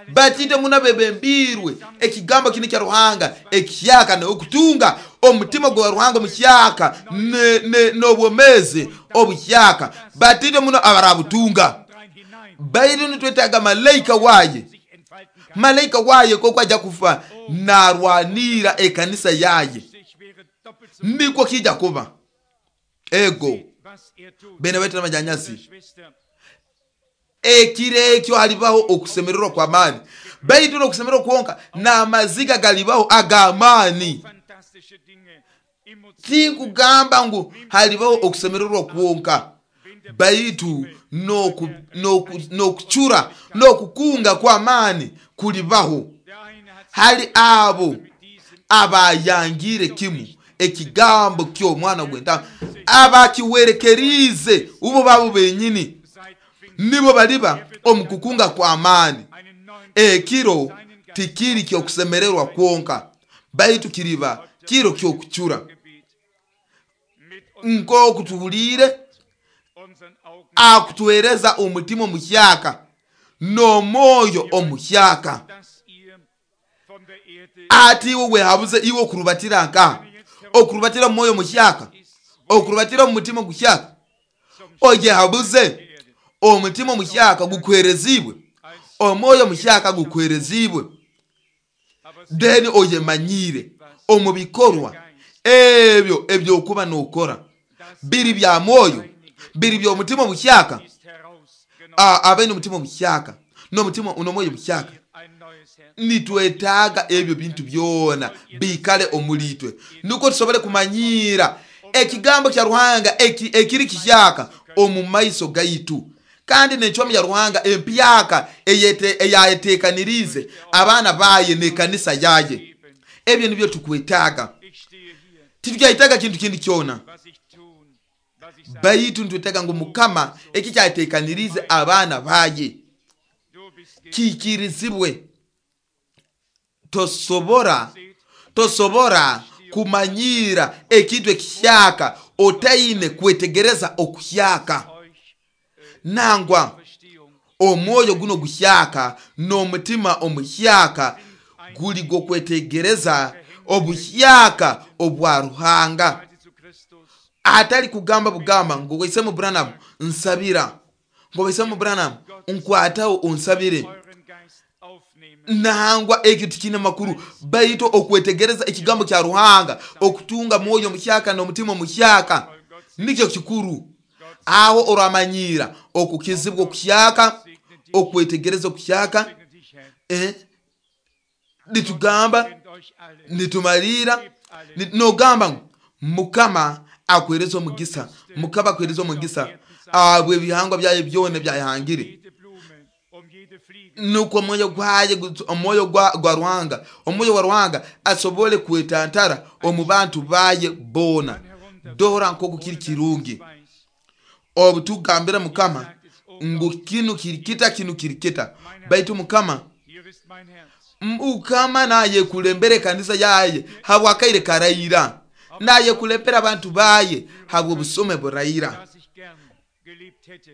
Batito muno abebembirwe ekigambo kino kya Ruhanga ekihyaka, n'okutunga omutima gwa Ruhanga omuhyaka n'obwomezi obuhyaka. Batito muno abarabutunga. Baitu nitwetaaga malaika waye, malaika waye koko ajja kufa narwanira ekanisa yaye, nikwo kijja kuba. Ego bene baitu n'abanyanyasi, ekiro ekyo halibaho okusemererwa kw'amaani, baitu n'okusemererwa kwonka n'amaziga galibaho ag'amaani. Tinkugamba ngu halibaho okusemererwa kwonka, baitu n'okucura n'okukunga kw'amaani kulibaho hali abo abayangire kimu ekigambo ky'omwana gw'entaama, abakiwerekerize ubo babo benyini, nibo baliba omu kukunga kw'amaani. Ekiro tikiri ky'okusemererwa kwonka, baitu kiriba kiro ky'okucura. Nk'oku tuhuliire akutuhereza omutima omuhyaka n'omwoyo omuhyaka. Ati iwe wehabuze iwe okurubatira nkaha, okurubatira omwoyo omuhyaka, okurubatira omutima oguhyaka, oyehabuze omutima omuhyaka gukuherezibwe, omwoyo omuhyaka gukuherezibwe, then oyemanyire omu bikorwa ebyo ebyokuba nokora biri bya mwoyo, biri by'omutima omuhyaka. Abaine omutima omuhyaka n'omutima n'omwoyo omuhyaka, nitwetaaga ebyo bintu byona biikale omulitwe, nukwo tusobole kumanyira ekigambo kya Ruhanga ekiri kihyaka omu maiso gaitu, kandi n'encwamu ya Ruhanga empyaka eyayeteekaniriize abaana baye n'ekanisa yaye. Ebyo nibyo tukwetaaga. Titukyayetaaga kintu kindi kyona, baitu nitwetaaga ngu Mukama eki kyayeteekaniriize abaana baye kiikirizibwe. Tosobora tosobora Kumanyira ekintu ekihyaka otaine kwetegereza okuhyaka. Nangwa omwoyo guno guhyaka n'omutima omuhyaka guli gokwetegereza obuhyaka obwa Ruhanga. Atali kugamba bugamba ngo Waisemu Branham nsabira, ngo Waisemu Branham nkwataho unsabire. Nangwa ekyo tikine makuru, baitu okwetegereza ekigambo kya Ruhanga, okutunga mwoyo muhyaka n'omutima muhyaka nikyo kikuru. Aho oramanyira okukizibwa okuhyaka, okwetegereza okuhyaka, eh, nitugamba nitumalira nogamba ngu Mukama akwereza omugisa, Mukama akwereza omugisa abwe ebihangwa byaye byona byayahangire. Nukwo omwoyo gwaye, omwoyo gwa, gwa Ruhanga, omwoyo wa Ruhanga asobole kwetantara omu bantu baye bona. Dora nkoku kiri kirungi obu tugambira Mukama ngu kinu kirikita, kinu kirikita, baitu Mukama Mukama naye kulembera ekanisa yaye habwakaire karaira, naye kulembera abantu baye habwo busome buraira.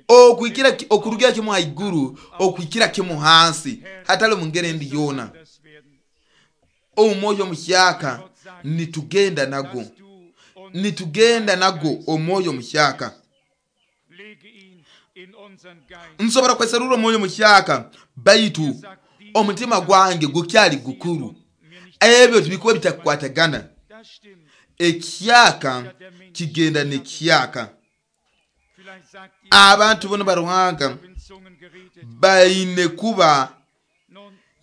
Okwikira okurugira kimu haiguru okwikira kimu hansi, hatali mungere ndi yona. Omwoyo muhyaka nitugenda nago, nitugenda nago omwoyo muhyaka. Nsobora kweserura omwoyo muhyaka, baitu omutima gwange gukyali gukuru. Ebyo tibikuba bitakukwatagana. Ekyaka kigenda n'ekyaka. Abantu bono ba Ruhanga baine kuba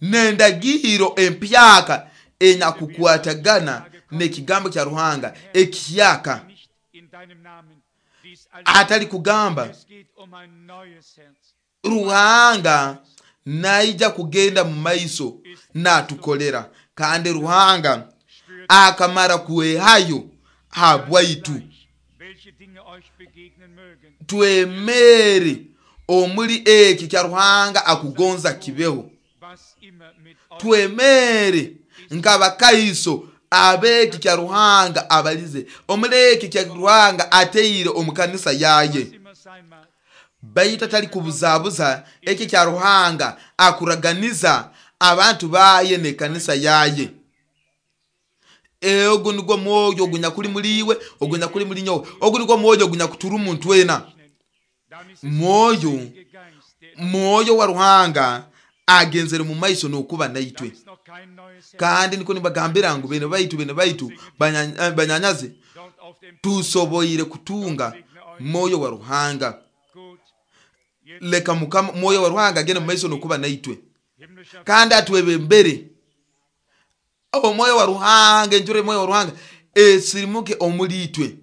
n'endagiro empyaka enyakukwatagana n'ekigambo kya Ruhanga ekyaka. Atali kugamba Ruhanga naija kugenda mu maiso natukolera, kandi Ruhanga akamara kwehayo habwaitu. Twemere omuli eki kya Ruhanga akugonza kibeho. Twemere nk'abakaiso abeki kya Ruhanga abalize omuli eki kya Ruhanga ateire omu kanisa yaye. Baitu atali kubuzabuza eki kya Ruhanga akuraganiza abantu baye n'ekanisa yaye. Ogu nigwo mwoyo ogunyakuli muliwe, ogunyakuli muli nyowe, ogu nigwo mwoyo ogunyakuturu omuntu wena. Mwoyo mwoyo wa Ruhanga agenzere mu maiso n'okuba naitwe. Kandi niko nibagambira ngu bene baitu, bene baitu banyanyaze, tusoboire kutunga mwoyo wa Ruhanga. Leka Mukama mwoyo wa Ruhanga agende mu maiso n'okuba naitwe, kandi atwebembere. Omwoyo wa Ruhanga, enjura omwoyo wa Ruhanga esirimuke omuli itwe.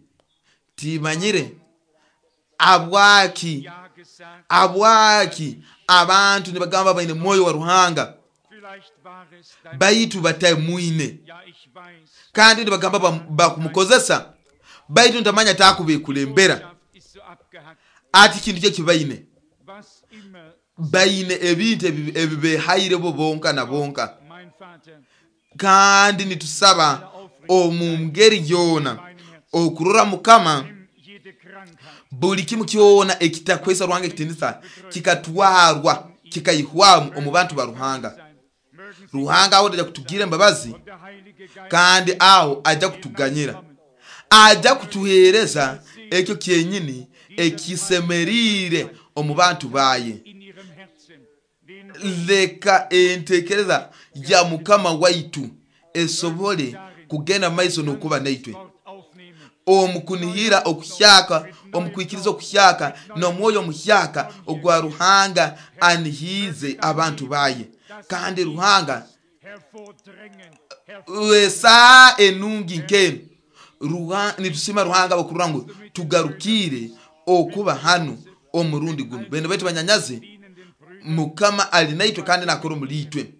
Timanyire abwaki abwaki abantu nibagamba baine mwoyo wa Ruhanga baitu batamwine, kandi nibagamba bakumukozesa, baitu ntamanya takubekulembera ati kintu kye kibaine. Baine ebintu ebibehaire bo bonka na bonka. Kandi nitusaba omu ngeri yona okurora Mukama buli kimu kyona ekitakwesa Ruhanga ekitinisa kikatwarwa kikaihwamu omu bantu ba Ruhanga. Ruhanga aho aja kutugira embabazi, kandi aho aja kutuganyira, aja kutuhereza ekyo kyenyini ekisemerire omu bantu baye. Leka entekereza ya Mukama waitu esobole kugenda maiso n'okuba naitwe omukunihira okuhyaka, omukwikiriza okuhyaka n'omwoyo omuhyaka ogwa Ruhanga anihize abantu baye. Kandi Ruhanga esaa enungi nkenu nitusima Ruhanga bakurura ngu tugarukire okuba hano omurundi guno. Bene baitu banyanyazi, Mukama ali naitwe kandi nakora omuli itwe,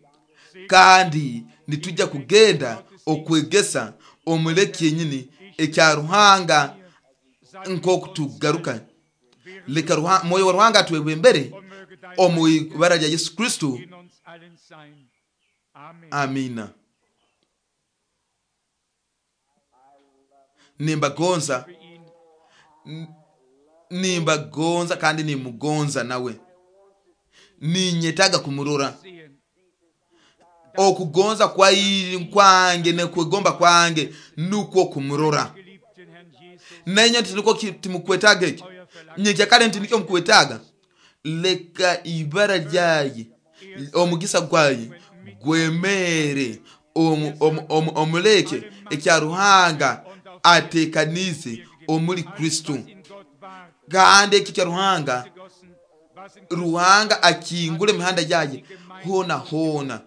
kandi nitujja kugenda okwegesa omuleki yenyini ekya Ruhanga nkokutugaruka. Leka mwoyo wa Ruhanga atwebembere omu ibara lya Yesu Kristo. Amina. Nimbagonza, Für ihn. nimbagonza kandi nimugonza nawe, ninyetaga kumurora. Sehen. Okugonza kwai kwange nekwegomba kwange nukwo kumurora. Geliebten Herrn Jesus, Nenye nti niko timukwetaga eki euer Verlangen nyekyakale nti nikyo mukwetaaga. Leka ibara lyaye omugisa gwaye gwemere omu- omu- omu- omuleke ekya Ruhanga atekanize omuli Kristo. was in Gott war, Kandi eki kya Ruhanga, gegossen, was in Ruhanga akingule emihanda yaye hona hona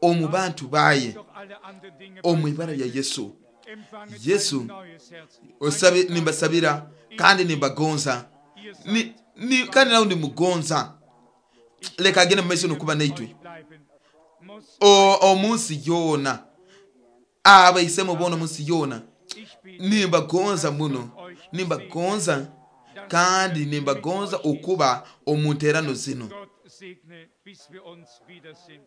omu bantu baye doch alle anderen Dinge omu ibara lya Yesu. empfanget Yesu. ein neues Herz. Osabe nimbasabira kandi nimbagonza Ihr seid ni, ni, kandi nawe nimugonza. Leka agende mu maiso nokuba naitwe euch bleiben. Muss O- omunsi yoona, abaisemu boona omunsi yoona. ich bete, Nimbagonza muno, nimbagonza kandi nimbagonza okuba omu nterano zino. Gott segne, bis wir uns wiedersehen.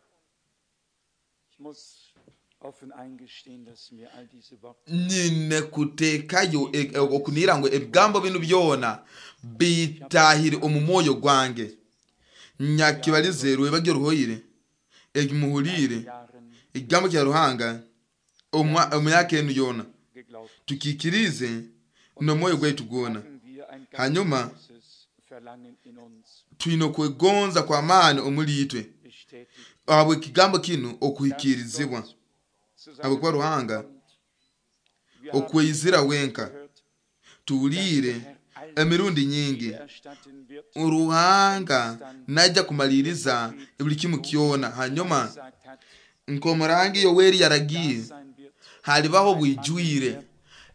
Ich muss offen eingestehen, dass mir all diese Worte Nyine kuteekayo e- e- okunira ngu ebigambo binu byona bitahire omu mwoyo gwange. Nyakibalize rwebagyo ruhoire ekimuhulire Jahren ekigambo kya Ruhanga omwa- omuyaka enu yona geglaubt. tukikirize n'omwoyo gwaitu gwona. Haben wir ein ganz Hanyuma großes Verlangen in uns twine okwegonza kw'amaani omuli itwe bestätigt, ahabwa ekigambo kinu okuhikirizibwa, dass Gott zu seinem ahabwokuba Ruhanga kommt. Wir haben okweyizira wenka. gehört, Tuwulire Herr alles emirundi nyingi erstatten wird, Ruhanga najja kumaliriza buli kimu kyona. Hanyuma gesagt hat, nk'omurangi Yoweri yaragiye, sein wird. halibaho bwijwire,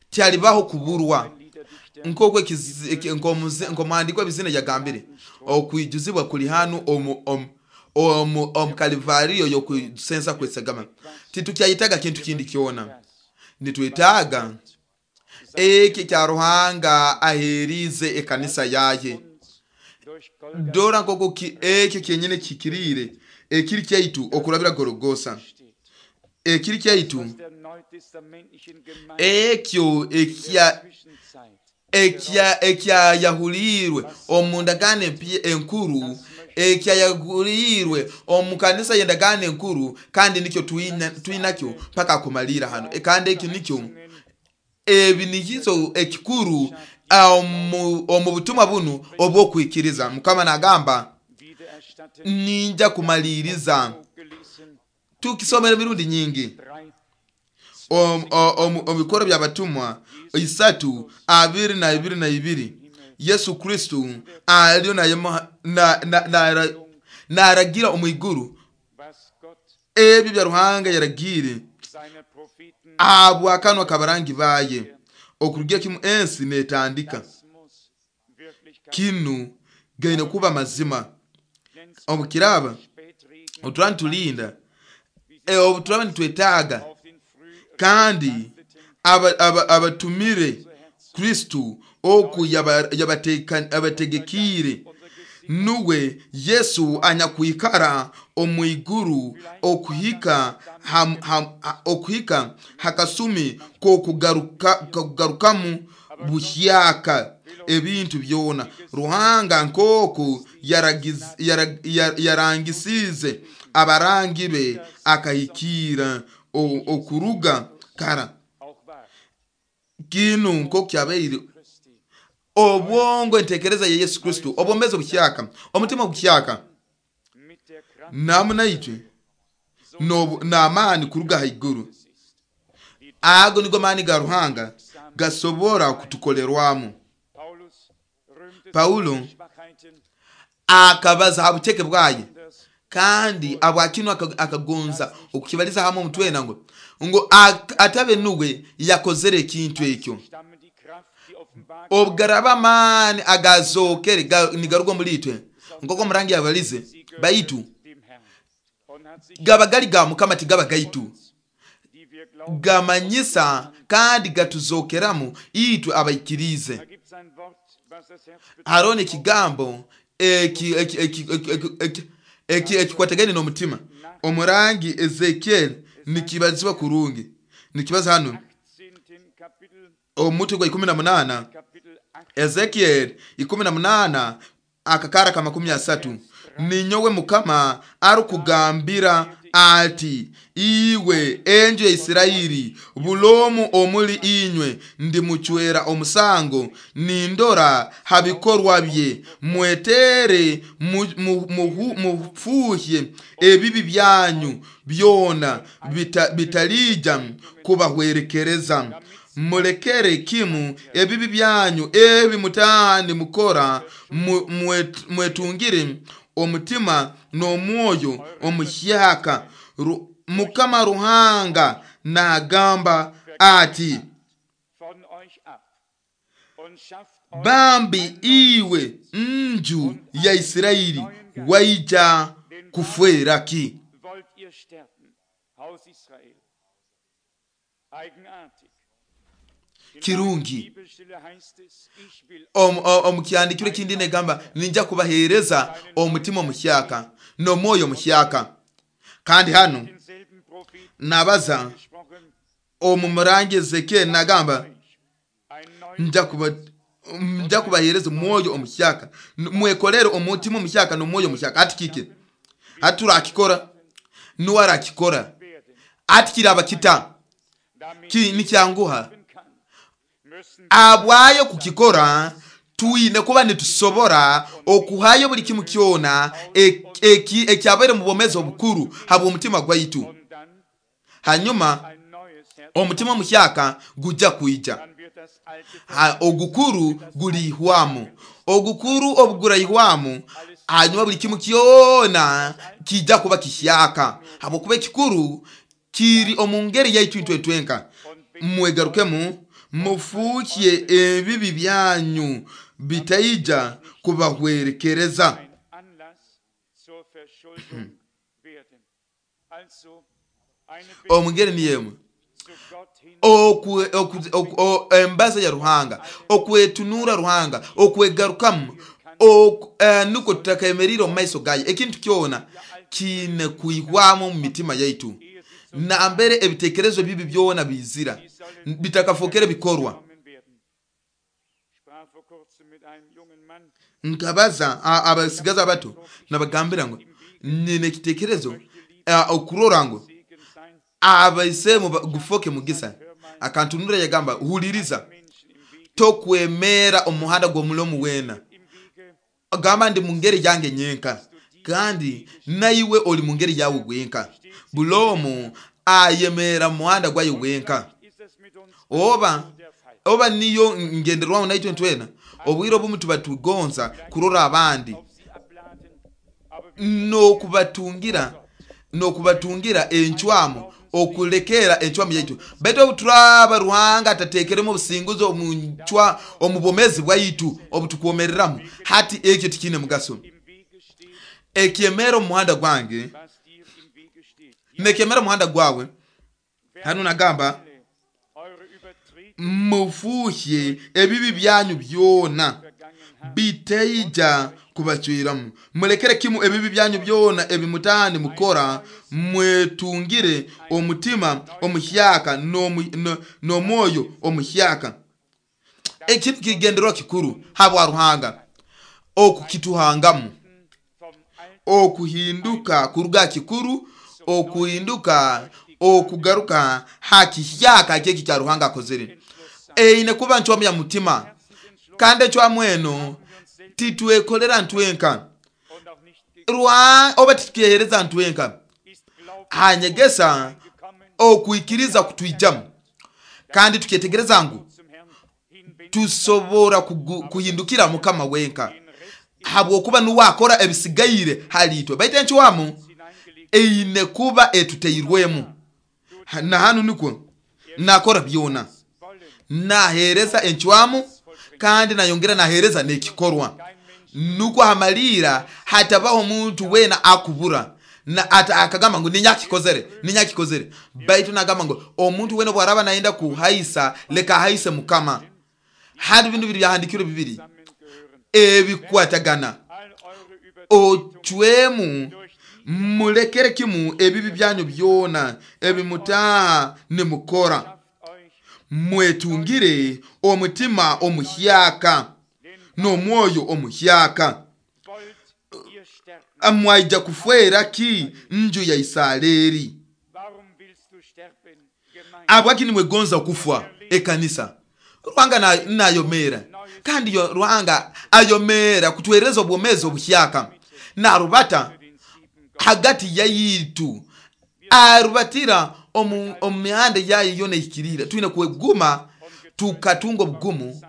tyalibaho kuburwa. Ein Liederdichter Nk'oku ekizi- eki- nk'omuzi- nk'omuhandiiko w'ebizina yagambire, okwijuzibwa kuli hanu omu omu omu omu Kalivariyo y'okusensa kwesagama. Titukyayitaga kintu kindi kyona, das nitwetaaga eki kya Ruhanga aherize ekanisa yaye. uns durch Golgatha Dora nk'oku ki- ekyo kyenyine kikiriire ekiri kyaitu okurabira Gorogosa, steht. ekiri kyaitu Aus der neutestamentlichen Gemeinde ekyo der ekya Zwischenzeit ekya ekyayahuliirwe omu ndagaano empya enkuru, ekyayahuliirwe omu kanisa y'endagaano enkuru, kandi nikyo twina twinakyo paka kumalira hano. E, kandi ekyo nikyo ebi nikizo ekikuru omu omu butumwa bunu obw'okwikiriza. Mukama nagamba wiedererstatten, ninja kumaliriza. gelesen, Tukisomera emirundi nyingi drei, omu omu- omu bikoro by'abatumwa isatu abiri na ibiri na ibiri, Yesu Kristo aliyo nayemo- na- na- na- naragira omu iguru was Gott ebyo bya Ruhanga yaragire seine Propheten, ahabwakanwa kabarangi baye okurugira kimu ensi netandika. das muss Wirklichkeit Kinu gaine kuba mazima. nenn's Obukiraba Spätregen oturaba nitulinda, e, obu turaba nitwetaaga auf den früh kandi aba- aba- abatumire Kristo oku yaba- yabateka- abategekiire nuwe Yesu anyakwikara omu iguru okuhika ham, ham, ha- okuhika hakasumi k'okugaruka kugarukamu buhyaka ebintu byona. Ruhanga nk'oku yaragiz- yara- ya- yarangisize abarangi be akahikira o- okuruga kara. auch wahr. Kinu nk'oku kyabaire Christi obwongo entekereza ya Yesu Kristo, obwomezi obuhyaka, omutima oguhyaka mit der Kraft namu naitwe n'obu- n'amaani kuruga haiguru. es ist. Ago nigo maani ga Ruhanga gasobora kutukolerwamu. Paulus rühmte Paulo seine Schwachheiten, akabaza ha buceke bwaye das kandi abwakinu aka- akagonza okukibaliza hamwe omutwena ngo ngo ak- atabe nuwe yakozere ekintu ekyo. stammen die Kraft, die offenbar Obugaraba amaani agazokere ga- nigaruga omuli itwe nk'oku omurangi yabalize sie gehört baitu dem Herrn und hat sich gaba gali ga Mukama tigaba gaitu, uns, die wir glauben, gamanyisa kandi gatuzokeramu itwe abaikirize. da gibt es ein Wort, was das Herz betrifft. Hariho n'ekigambo eki- eki- eki- eki- eki- eki- eki- ekikwatagane n'omutima. Omurangi Ezekiel nikibazibwa kurungi, nikibaza hano achtzehnten Omutwe gwa ikumi na munana, Ezekiel ikumi na munana akakara ka makumi asatu, ninyowe Mukama arukugambira ati iwe enju ya Isirairi bulomu omuli inywe ndimuchwera omusango nindora habikorwa bye mwetere mufuhye ebibi byanyu byona bita, bitalija kubahwerekereza mulekere kimu ebibi byanyu ebi mutani mukora mwetungire omutima n'omwoyo omuhyaka. Mukama Ruhanga nagamba ati bambi iwe nju ya Isirairi waija kufwera ki? Kirungi omukyandikiro kindi negamba ninja kubahereza omutima omuhyaka n'omwoyo omuhyaka. Kandi hano nabaza omu murangi Ezekiel nagamba nja kuba nja kubahereza omwoyo omuhyaka mwekolere omutima omuhyaka n'omwoyo omuhyaka. Ati kike aturakikora nuwarakikora ati kiraba kita ki nikyanguha abwayo kukikora tuine kuba nitusobora okuhayo buli kimu kyona ekyabaire mu bwomeezi obukuru habwa omutima gwaitu. Hanyuma omutima omuhyaka gujja kuija, ogukuru gulihwamu, ogukuru obuguraihwamu, hanyuma buli kimu kyona kijja kuba kihyaka habwokuba ekikuru kiri omu ngeri yaitu intwe twenka. Mwegarukemu mufuhye ebibi byanyu bitaija kubahwerekereza. Omungeri niyemu embaza ya Ruhanga, okwetunura Ruhanga, okwegarukamu, nuko tutakayemerire omu maiso gaye. Ekintu kyona kine kuihwamu mu mitima yaitu nambere ebitekerezo bibi byona bizira bitakafokere bikorwa. Nkabaza abasigaza bato nabagambira ngo nine ekitekerezo okurora ngo abaisemu gufoke mugisa. Akantunura yagamba huliriza, tokwemera omuhanda gw'omulomu wena, gamba ndi mungeri yange nyenka kandi naiwe oli mungeri yawe wenka. Bulomu ayemera muhanda gwayo wenka. Oba oba niyo ngenderwaho naitwe ntwena obwiro obumu tuba tugonza kurora abandi nokubatungira nokubatungira enchwamu okulekera enchwamu yaitu. Baitu obuturaba Ruhanga atatekeremu obusinguzo omunchwa omubomezi bwaitu obutukwomereramu hati ekyo tikine mugaso. Ekyemera omuhanda gwange nekemera omuhanda gwawe. Hano nagamba mufuhye ebibi byanyu byona bitaija kubachwiramu, mulekere kimu ebibi byanyu byona ebimutani mukora, mwetungire omutima omuhyaka n'omwoyo omuhyaka. Ekintu kigenderwa kikuru habwa Ruhanga okukituhangamu, okuhinduka kuruga kikuru, okuhinduka okugaruka hakihyaka kyeki kya Ruhanga akozere. Eine kuba nchwamu ya mutima, kandi enchwamu eno titwekolera ntwenka Ruhanga oba titukihereza ntwenka. Hanyegesa okuikiriza kutwijamu kandi tukyetegereza ngu tusobora kuhindukira Mukama wenka habwokuba nuwakora ebisigaire halitwe. Baitu enchwamu eine kuba etuteirwemu na hanu nukwo nakora byona, nahereza enchwamu kandi nayongera nahereza nekikorwa. Nukwo hamalira hatabaho omuntu wena akubura na ata akagamba ngu ninyakikozere ninyakikozere. Baitu nagamba ngu omuntu wena bwaraba naenda kuhaisa leka haise Mukama. Hadi bintu biri byahandikirwe bibiri ebikwatagana. Ochwemu mulekere kimu ebibi byanyu byona ebimutaha nimukora, Mwetungire omutima omuhyaka n'omwoyo omuhyaka. Wollt ihr sterben? Mwaija kufwera ki nju ya Isareri? Warum willst du sterben, Gemeinde? Abwaki nimwegonza kufa ekanisa? Ruhanga na- nayomera, kandi yo Ruhanga ayomera kutuhereza obwomezi obuhyaka narubata Für den sieben Gott. hagati yaitu, arubatira omu omu mihanda yayo yona ehikirire. Twine kweguma tukatunga obugumu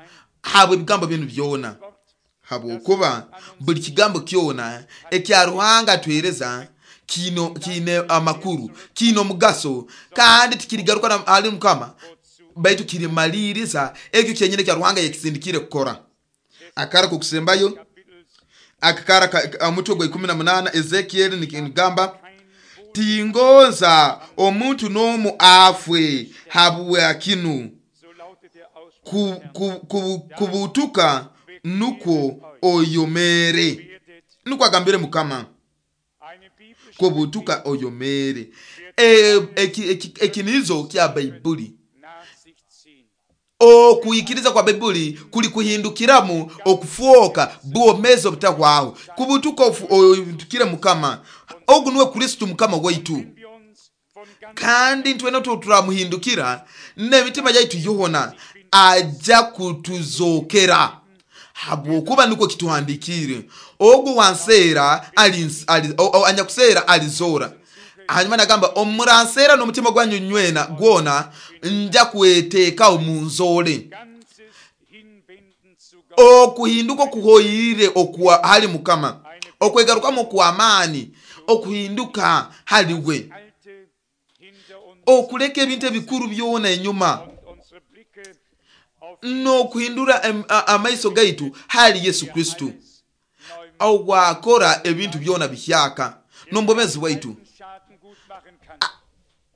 habwe ebigambo binu byona, Wort, habwokuba buli kigambo kyona ekya Ruhanga atuhereza kino kiine amakuru, kiine omugaso, kandi tikirigaruka na- hali Mukama, baitu kirimaliriza ekyo kyenyine kya Ruhanga yakisindikire kukora. Akara kokusembayo Kapitels akakara ka- ka- omutwe gwa ikumi na munana Ezekieli nigamba, kein Wohl tingonza omuntu n'omu afwe habwa kinu so lautet der Ausspruch ku, des Herrn. ku, ku, kubutuka nukwo oyomere, Werdet nukwo agambire Mukama, eine biblische kubutuka oyomere. E, eki- eki- ekinizo kya Baibuli, nach sich ziehen. okuikiriza kwa Baibuli kuli kuhindukiramu okufuoka bwomezi obutahwaho. Kubutuka ofu- otukire Mukama ogu niwe Kristo Mukama waitu, Wenn wir uns von ganzem kandi ntwena turamuhindukira n'emitima yaitu yoona aja kutuzokera, habwokuba nukwo kituhandikire, ogu wanseera ali, ali, o- o- anyakuseera alizora. Hanyuma nagamba, omuranseera n'omutima gwanyu nywena gwona nja kweteeka omunzoole. ganzes Hinwenden zu Gott, Okuhinduka okuhoyire okwa hali Mukama, okwegarukamu okw'amaani, okuhinduka hali we, Alte hinter uns okuleka ebintu ebikuru byona enyuma und unsere Blicke auf n'okuhindura em- a- amaiso gaitu hali Yesu Kristo alles neu ogwakora ebintu byona bihyaka n'omubomezi waitu. alten Schaden gut machen kann.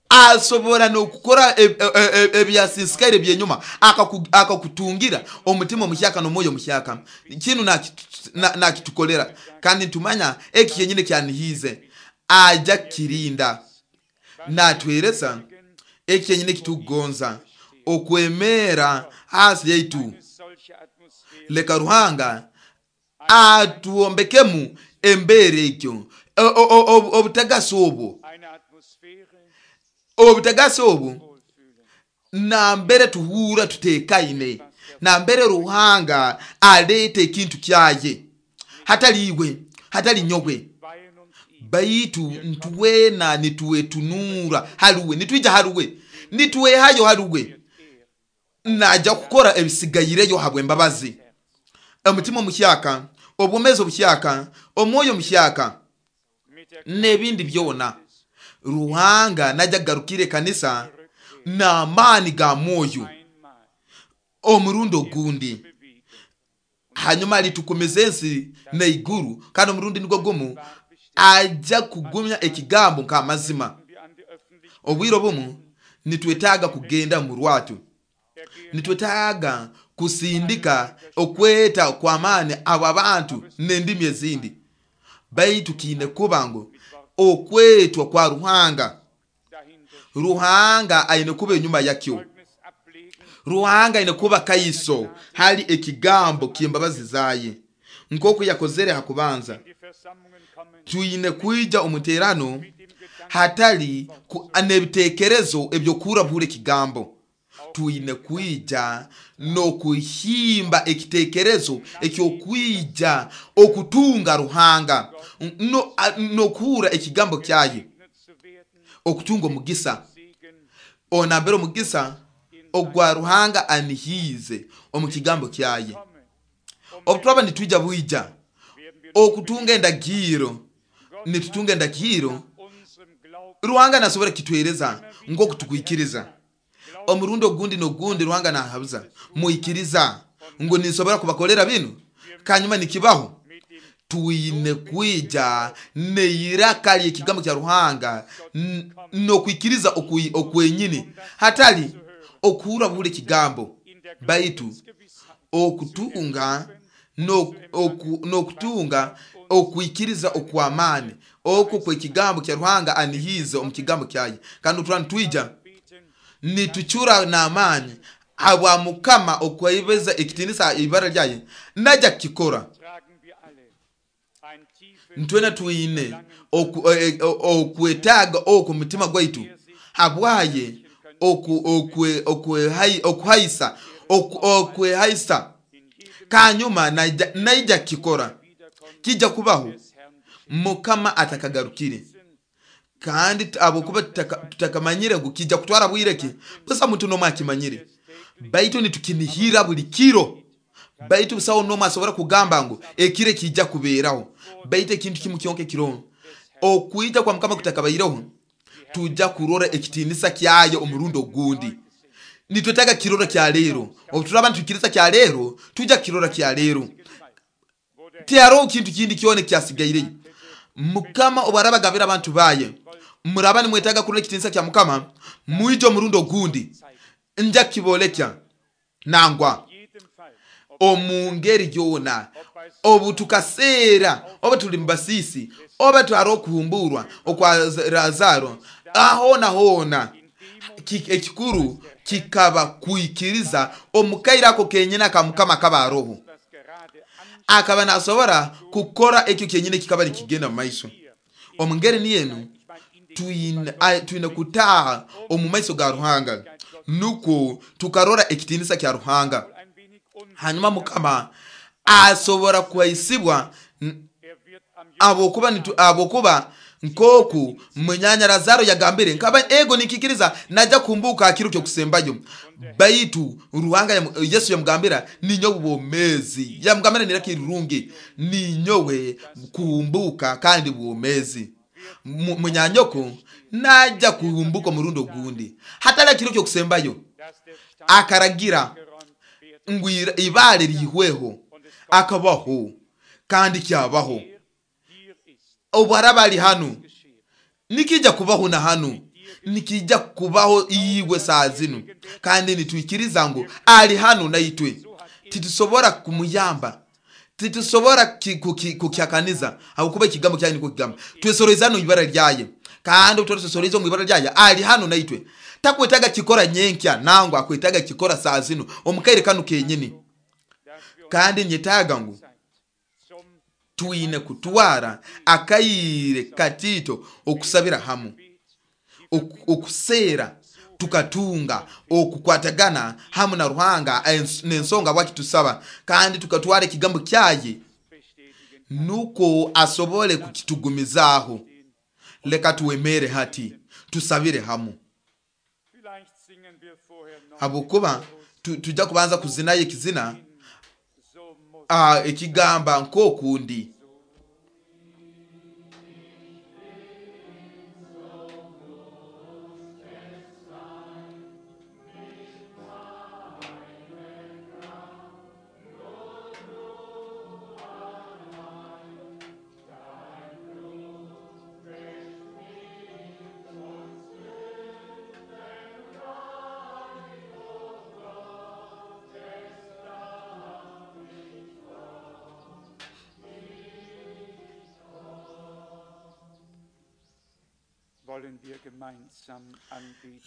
Asobora n'okukora e- e- e- ebyasinsikare byenyuma, akaku- akakutungira omutima omuhyaka n'omwoyo omuhyaka. Kinu nakitu- na- nakitukolera, kandi ntumanya eki kyenyine kyanihiize aja kirinda natwereza eki kyenyine kitukugonza okwemera hasi yaitu. Eine solche Atmosphäre Leka Ruhanga atuombekemu embera ekyo, O- o- o- obutagasi obwo, eine Atmosphäre obutagasi obwo wohlfühlen. nambere tuhura tutekaine, nambere Ruhanga aleta ekintu kyaye, hatali iwe, hatali nyowe, Weihen uns ihm. baitu ntuwena nituwetunura haluwe, nitwija haluwe, nituwehayo haluwe, Er naja kukora ebisigayireyo habwe embabazi. Omutima omuhyaka, obwomezi obuhyaka, omwoyo omuhyaka mit der n'ebindi byona, Ruhanga najja kugarukira ekanisa n'amaani ga mwoyo einmal omurundi ogundi. bewegen. Hanyuma alitukumiza ensi n'eiguru, kandi omurundi nigwo gumu ajja kugumya ekigambo nk'amazima. Wir an die Öffentlichkeit Obwire obumu nitwetaaga kugenda mu rwatu, ergehen nitwetaaga kusindika okweta kw'amaani abo abantu n'endimi ezindi, baitu kiine kuba ngu okwetwa kwa Ruhanga, dahinter. Ruhanga aine kuba enyuma yakyo. Zeugnis ablegen, Ruhanga aine kuba kaiso hali ekigambo ky'embabazi zaye nk'oku yakozere ha kubanza. in die Versammlungen kommen, Twine kwija omuterano mit dem Gedanken hatali ku- n'ebitekerezo ebyokurabura ekigambo. Twine kwija n'okuhimba ekitekerezo ekyokwija okutunga Ruhanga no- a- n'okuhura ekigambo kyaye, gesegnet zu werden, okutunga omugisa Segen onambere omugisa ogwa Ruhanga anihiize omu kigambo kyaye. komme. Obu turaba nitwija bwija Werden wir okutunga endagiro, Gott nitutunga endagiro, unserem Glauben Ruhanga nasobora kitwereza nk'oku tukwikiriza. Omurundi ogundi n'ogundi Ruhanga nahabuza, muikiriza ngu ninsobora kubakolera binu, kanyuma nikibaho. mit dem Twine kwija neiraka ly'ekigambo kya Ruhanga n- n'okwikiriza okwi- okwenyini, hatali okuhura buhura ekigambo, in der baitu Glaubensgewissheit okutunga no- oku- n'okutunga okwikiriza okw'amaani okwo kw'ekigambo kya Ruhanga anihiize omu kigambo kyaye. Kandi otura nitwija beten, nitucura n'amaani Habwa Mukama okwaibeza ekitinisa ibara lyaye najja kukikora. Ntwena twine okwetaaga oku mutima gwaitu habwaye okuhaisa okwehaisa kanyuma naija kikora kijja kubaho Mukama atakagarukire. Kandi abokuba tutakamanyire ngu kijja kutwara bwireki busa muntu nomwe akimanyire, baitu nitukinihira buli kiro. Baitu busaho nomwe asobora kugamba ngu ekire kijja kubeeraho. Baitu ekintu kimu kyonka ekiro okwija kwa Mukama kutakabaireho tujja kurora ekitinisa kyayo omurundi ogundi. Nitwetaaga kirora kya leero. Obu turaba nitukiriza kya leero tujja kirora kya leero. Tihariho kintu kindi kyona ekyasigaireyo. Mukama obwaraba agambira abantu baye, muraba nimwetaaga kurora ekitinisa kya Mukama, mwije omurundi ogundi nja kibolekya nangwa omu ngeri yona. Obu tukaseera oba tuli mubasisi oba twari okuhumburwa okwa Lazaro, ahona hona ekikuru kikaba kuikiriza omukaire ako kenyine aka Mukama akaba aroho. Akaba nasobora kukora ekyo kenyine kikaba nikigenda mu maiso. Omu ngeri niyenu twine twine kutaaha omu maiso ga Ruhanga nukwo tukarora ekitinisa kya Ruhanga. Hanyuma Mukama asobora kuhaisibwa abokuba abokuba nkoku munyanya Lazaro yagambire nkaba ego nikikiriza najja kumbuka akiro kyo kusembayo. Baitu Ruhanga Yesu yamugambira ninyowe bwomezi, yamugambira niraki rurungi ninyowe kumbuka kandi bwomezi. Munyanyoko najja kuhumbuka murundo gundi hatala kiro kyo kusembayo. Akaragira ngu ibale lihweho akabaho kandi kyabaho. Obwaraba ali hanu nikija kubaho na hanu nikija kubaho iwe saa zinu. Kandi nitwikiriza ngu ali hanu naitwe. Titusobora kumuyamba, titusobora kukyakaniza ahakuba ekigambo kyaye niko kigamba. Twesorezano ibara lyaye kandi twesoreza mu ibara lyaye ali hanu naitwe. Takwetaga kikora nyenkya nangwa akwetaga kikora saa zinu omukaire kanu kenyini. Kandi nyetaga ngu twine kutwara akaire katito okusabira hamu okusera tukatunga okukwatagana hamu na Ruhanga n'ensonga wakitusaba, kandi tukatwara ekigambo kyaye nuko asobole kukitugumizaho. Leka tuwemere hati tusabire hamu habukuba tujja kubanza kuzinayo ekizina ekigamba nkokundi.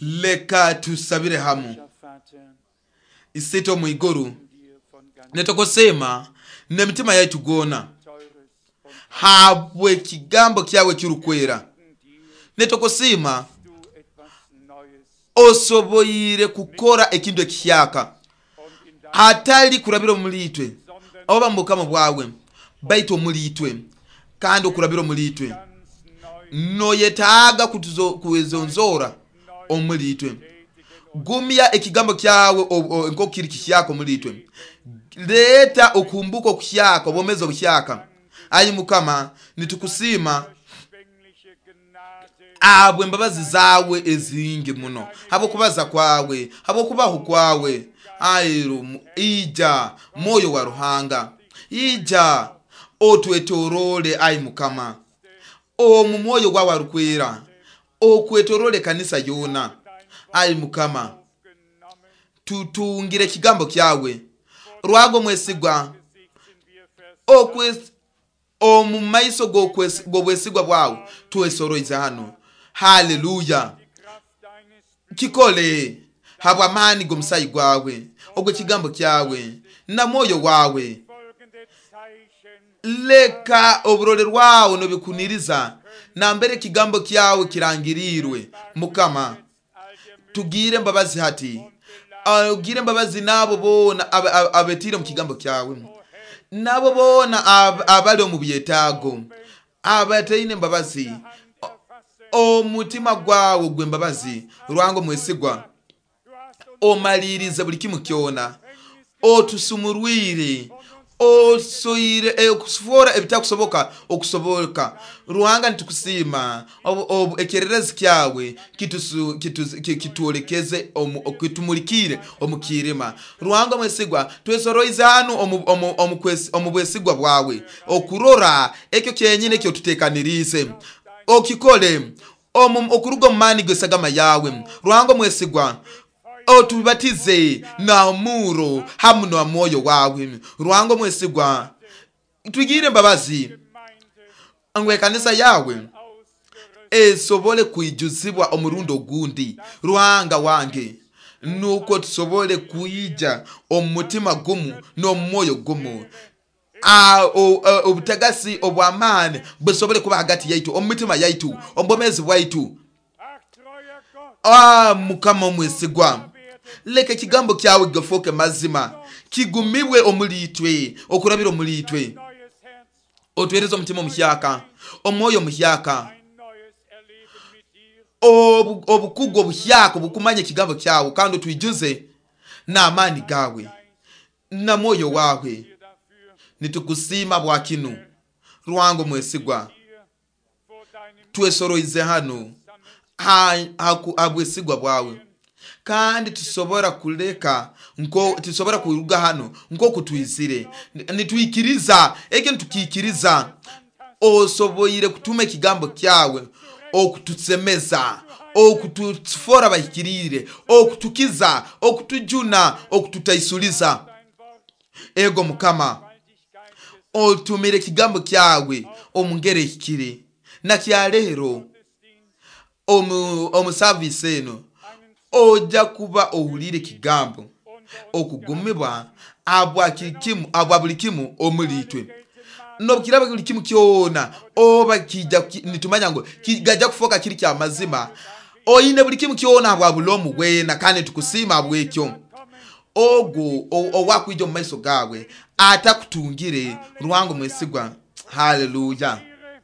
Leka tusabire hamu. Isito mwiguru netokosema nemitima yaitu gona habwe kigambo kyawe kirukwera. Netokosema osoboire kukora ekintu ekihyaka hatali kurabira omulitwe oba mukama bwawe baitu omulitwe kandi okurabira omulitwe noyetaaga kuwezonzora omulitwe. Gumya ekigambo kyawe nkokiri kihyaka omulitwe. Leta okumbuka okuhyaka obwomeezi obuhyaka. Ayi Mukama nitukusima abwe embabazi zawe ezingi muno habwokubaza kwawe habwokubaho kwawe. Ayiru ija moyo wa Ruhanga ija otwetorole. Ayi Mukama omu mwoyo gwawe arukwera okwetorole kanisa yona. Ayi Mukama tutungire ekigambo kyawe rwago mwesigwa okwe omu maiso g'obwesigwa bwawe twesoroize hano. Haleluya. Kikole Habw'amaani g'omusaayi gwawe, ogw'ekigambo kyawe na mwoyo wawe. Folgende Zeichen Leka oburole rwawe nobikuniriza nambere ekigambo kyawe kirangirirwe. Mukama, all der Mühe tugire embabazi hati, ogire embabazi n'abo boona aba- aba- abetiire omu kigambo kyawe, n'abo boona ab- abali omu byetaago, abataine embabazi. Hand erfassen. Omutima gwawe gw'embabazi, Ruhanga omwesigwa, Du hast uns omalirize buli kimu kyona, otusumurwire, osoire okufuora ebitakusoboka okusoboka. Ruhanga, nitukusiima. Obu- obu- ekyererezi kyawe kitusu- kitu- ki- kitwolekeze omu- kitumulikire omu kiirima. Ruhanga mwesigwa, twesoroize hanu omu- omu- omu kwesi- omu bwesigwa bwawe okurora ekyo kyenyine ekyotutekaniriize okikole omu- okuruga omu maani g'esagama yawe. Ruhanga mwesigwa, otubatize na muro hamu na mwoyo wawe. Ruhanga mwesigwa, twigire embabazi Gemeinde ngu ekanisa yawe ausgerüstet esobole kwijuzibwa omurundi ogundi. Ruhanga wange, nuko tusobole kwija omu mutima gumu n'omu mwoyo gumu. Ah, o- o- obutagasi obw'amaani busobole kuba hagati yaitu, omu mitima yaitu, omu bwomeezi bwaitu. Ach, treuer Gott, Ah, Mukama omwesigwa, leka ekigambo kyawe kifuuke mazima, kigumibwe omuli itwe, okurabira omuli itwe. neues Herz, Otwereze omutima omuhyaka, omwoyo omuhyaka, ein neues Erleben mit dir. obu- obukugu obuhyaka obukumanya ekigambo kyawe, kandi otwijuze n'amaani gawe na mwoyo wawe. Dir dafür Nitukusiima bwa kinu, Ruhanga omwesigwa. hier vor deinem Twesoroize hano ha- ha- ha bwesigwa bwawe, kandi tusobora kuleka nko tusobora kuruga hano nk'oku twizire. Nitwikiriza ekyo, nitukiikiriza osoboire kutuma ekigambo kyawe okutusemeza, okutufora bahikiriire, okutukiza, okutujuna, okututaisuliza. dein Wort, Ego Mukama, Gewaltigkeit des otumire ekigambo kyawe omu ngeri ehikire. Nakyaleero Gottesdienst omu omu saavisi eno einen ojja kuba owulire ekigambo unter uns okugumibwa abwa kikimu abwa buli kimu omuli itwe. gelten mag, Nobukiraba buli kimu kyona oba kijja ki- nitumanya ngu kigajja kufuuka kiri kya mazima, oyine buli kimu kyona bwa bulomu bwena, kandi tukusiima bwekyo. kommen, Ogwo o- owakwija omu maiso gawe atakutungire. Ruhanga omwesigwa, haleluya. Ehre,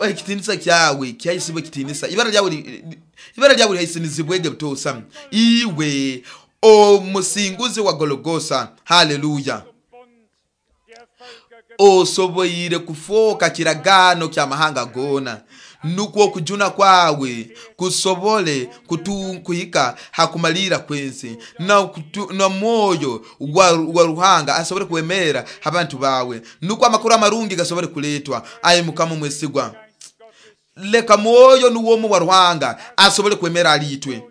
Ruhm Ekitinisa kyawe kyaisibwa ekitinisa, ibara lyawe li- li- ibara lyawe lihaisinizibwege butosa, iwe omusinguzi wa Gologosa. Haleluya. zum Bund der Völker Osoboire kufuuka kiragaano kyamahanga goona, nukwo okujuna kwawe kusobole kutu- kuhika hakumalira kwensi, na, kutu- na mwoyo wa, wa Ruhanga asobole kwemera abantu bawe, nukwo amakuru amarungi gasobole kuletwa. Ayi Mukama omwesigwa, Geist Gottes leka mwoyo nuwomu wa Ruhanga asobole kwemera alitwe.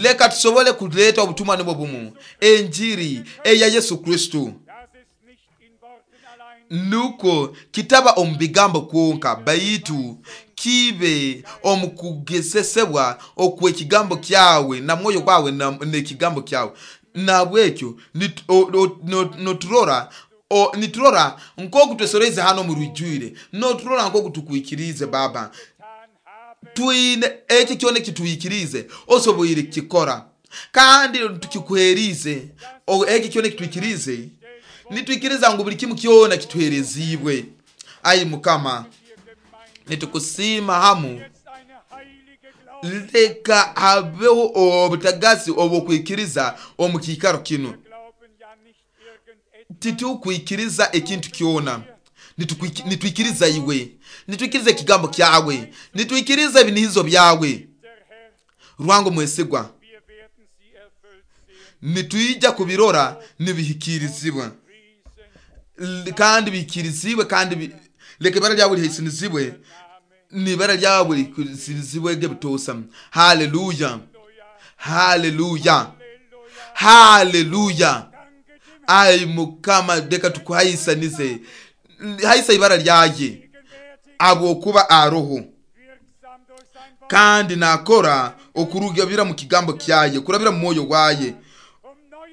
Leka tusobole kuleta obutumwa nibwo bumu, enjiri eya Yesu Kristu, Das ist nicht in Worten allein, nuko kitaba omu bigambo kwonka, baitu kibe omu kugesesebwa okw'ekigambo kyawe na mwoyo gwawe na- n'ekigambo kyawe. Nabwekyo nit- o- o- no- noturora o- niturora nk'oku twesoreize hano omu rwijwire, noturora nk'oku tukwikiriize Baba. getan haben, Twine ekyo kyona ekitwikirize osoboire kukikora, kandi tukikuherize. O- ekyo kyona ekitwikirize, nitwikiriza ngu buli kimu kyona kituherezibwe. Ayi Mukama, hier Gemeinde nitukusiima hamu. jetzt eine heilige Glaube. Leka habeho obutagasi obwokwikiriza omu kiikaro kinu. Wir glauben ja nicht irgendetwas, Titukwikiriza ekintu kyona. Nitukwiki- nitwikiriza iwe, nitwikiriza ekigambo kyawe, nitwikiriza ebinihizo byawe. der Herr, Ruhanga omwesigwa, wir werden sie erfüllt sehen. nitwija kubirora nibihikirizibwa. Riesen L- kandi bihikirizibwe, kandi bi- leka ibara lyawe lihaisinizibwe, Name, nibara lyawe lihikirizibwege butosa. Haleluya, haleluya, Halleluja, haleluya. danke dem Ayi Mukama, leka tukuhaisanize, haisa ibara lyaye gegenwärtig abwokuba aroho wirksam durch sein Wort. Kandi nakora okurugabira mu kigambo kyaye, kurabira mu mwoyo waye,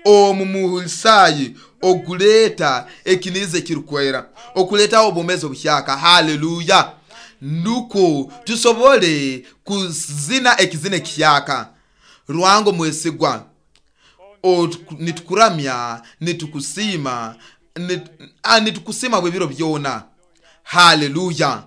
omu muhulisayi oguleeta ekiniza ekirukwera, okuleetaho obwomezi obuhyaka. Haleluya! Nukwo tusobole kuzina ekizina ekihyaka. Rwango mwesigwa, nitukuramya, nitukusiima, nitukusiima bwebiro byona. Haleluya!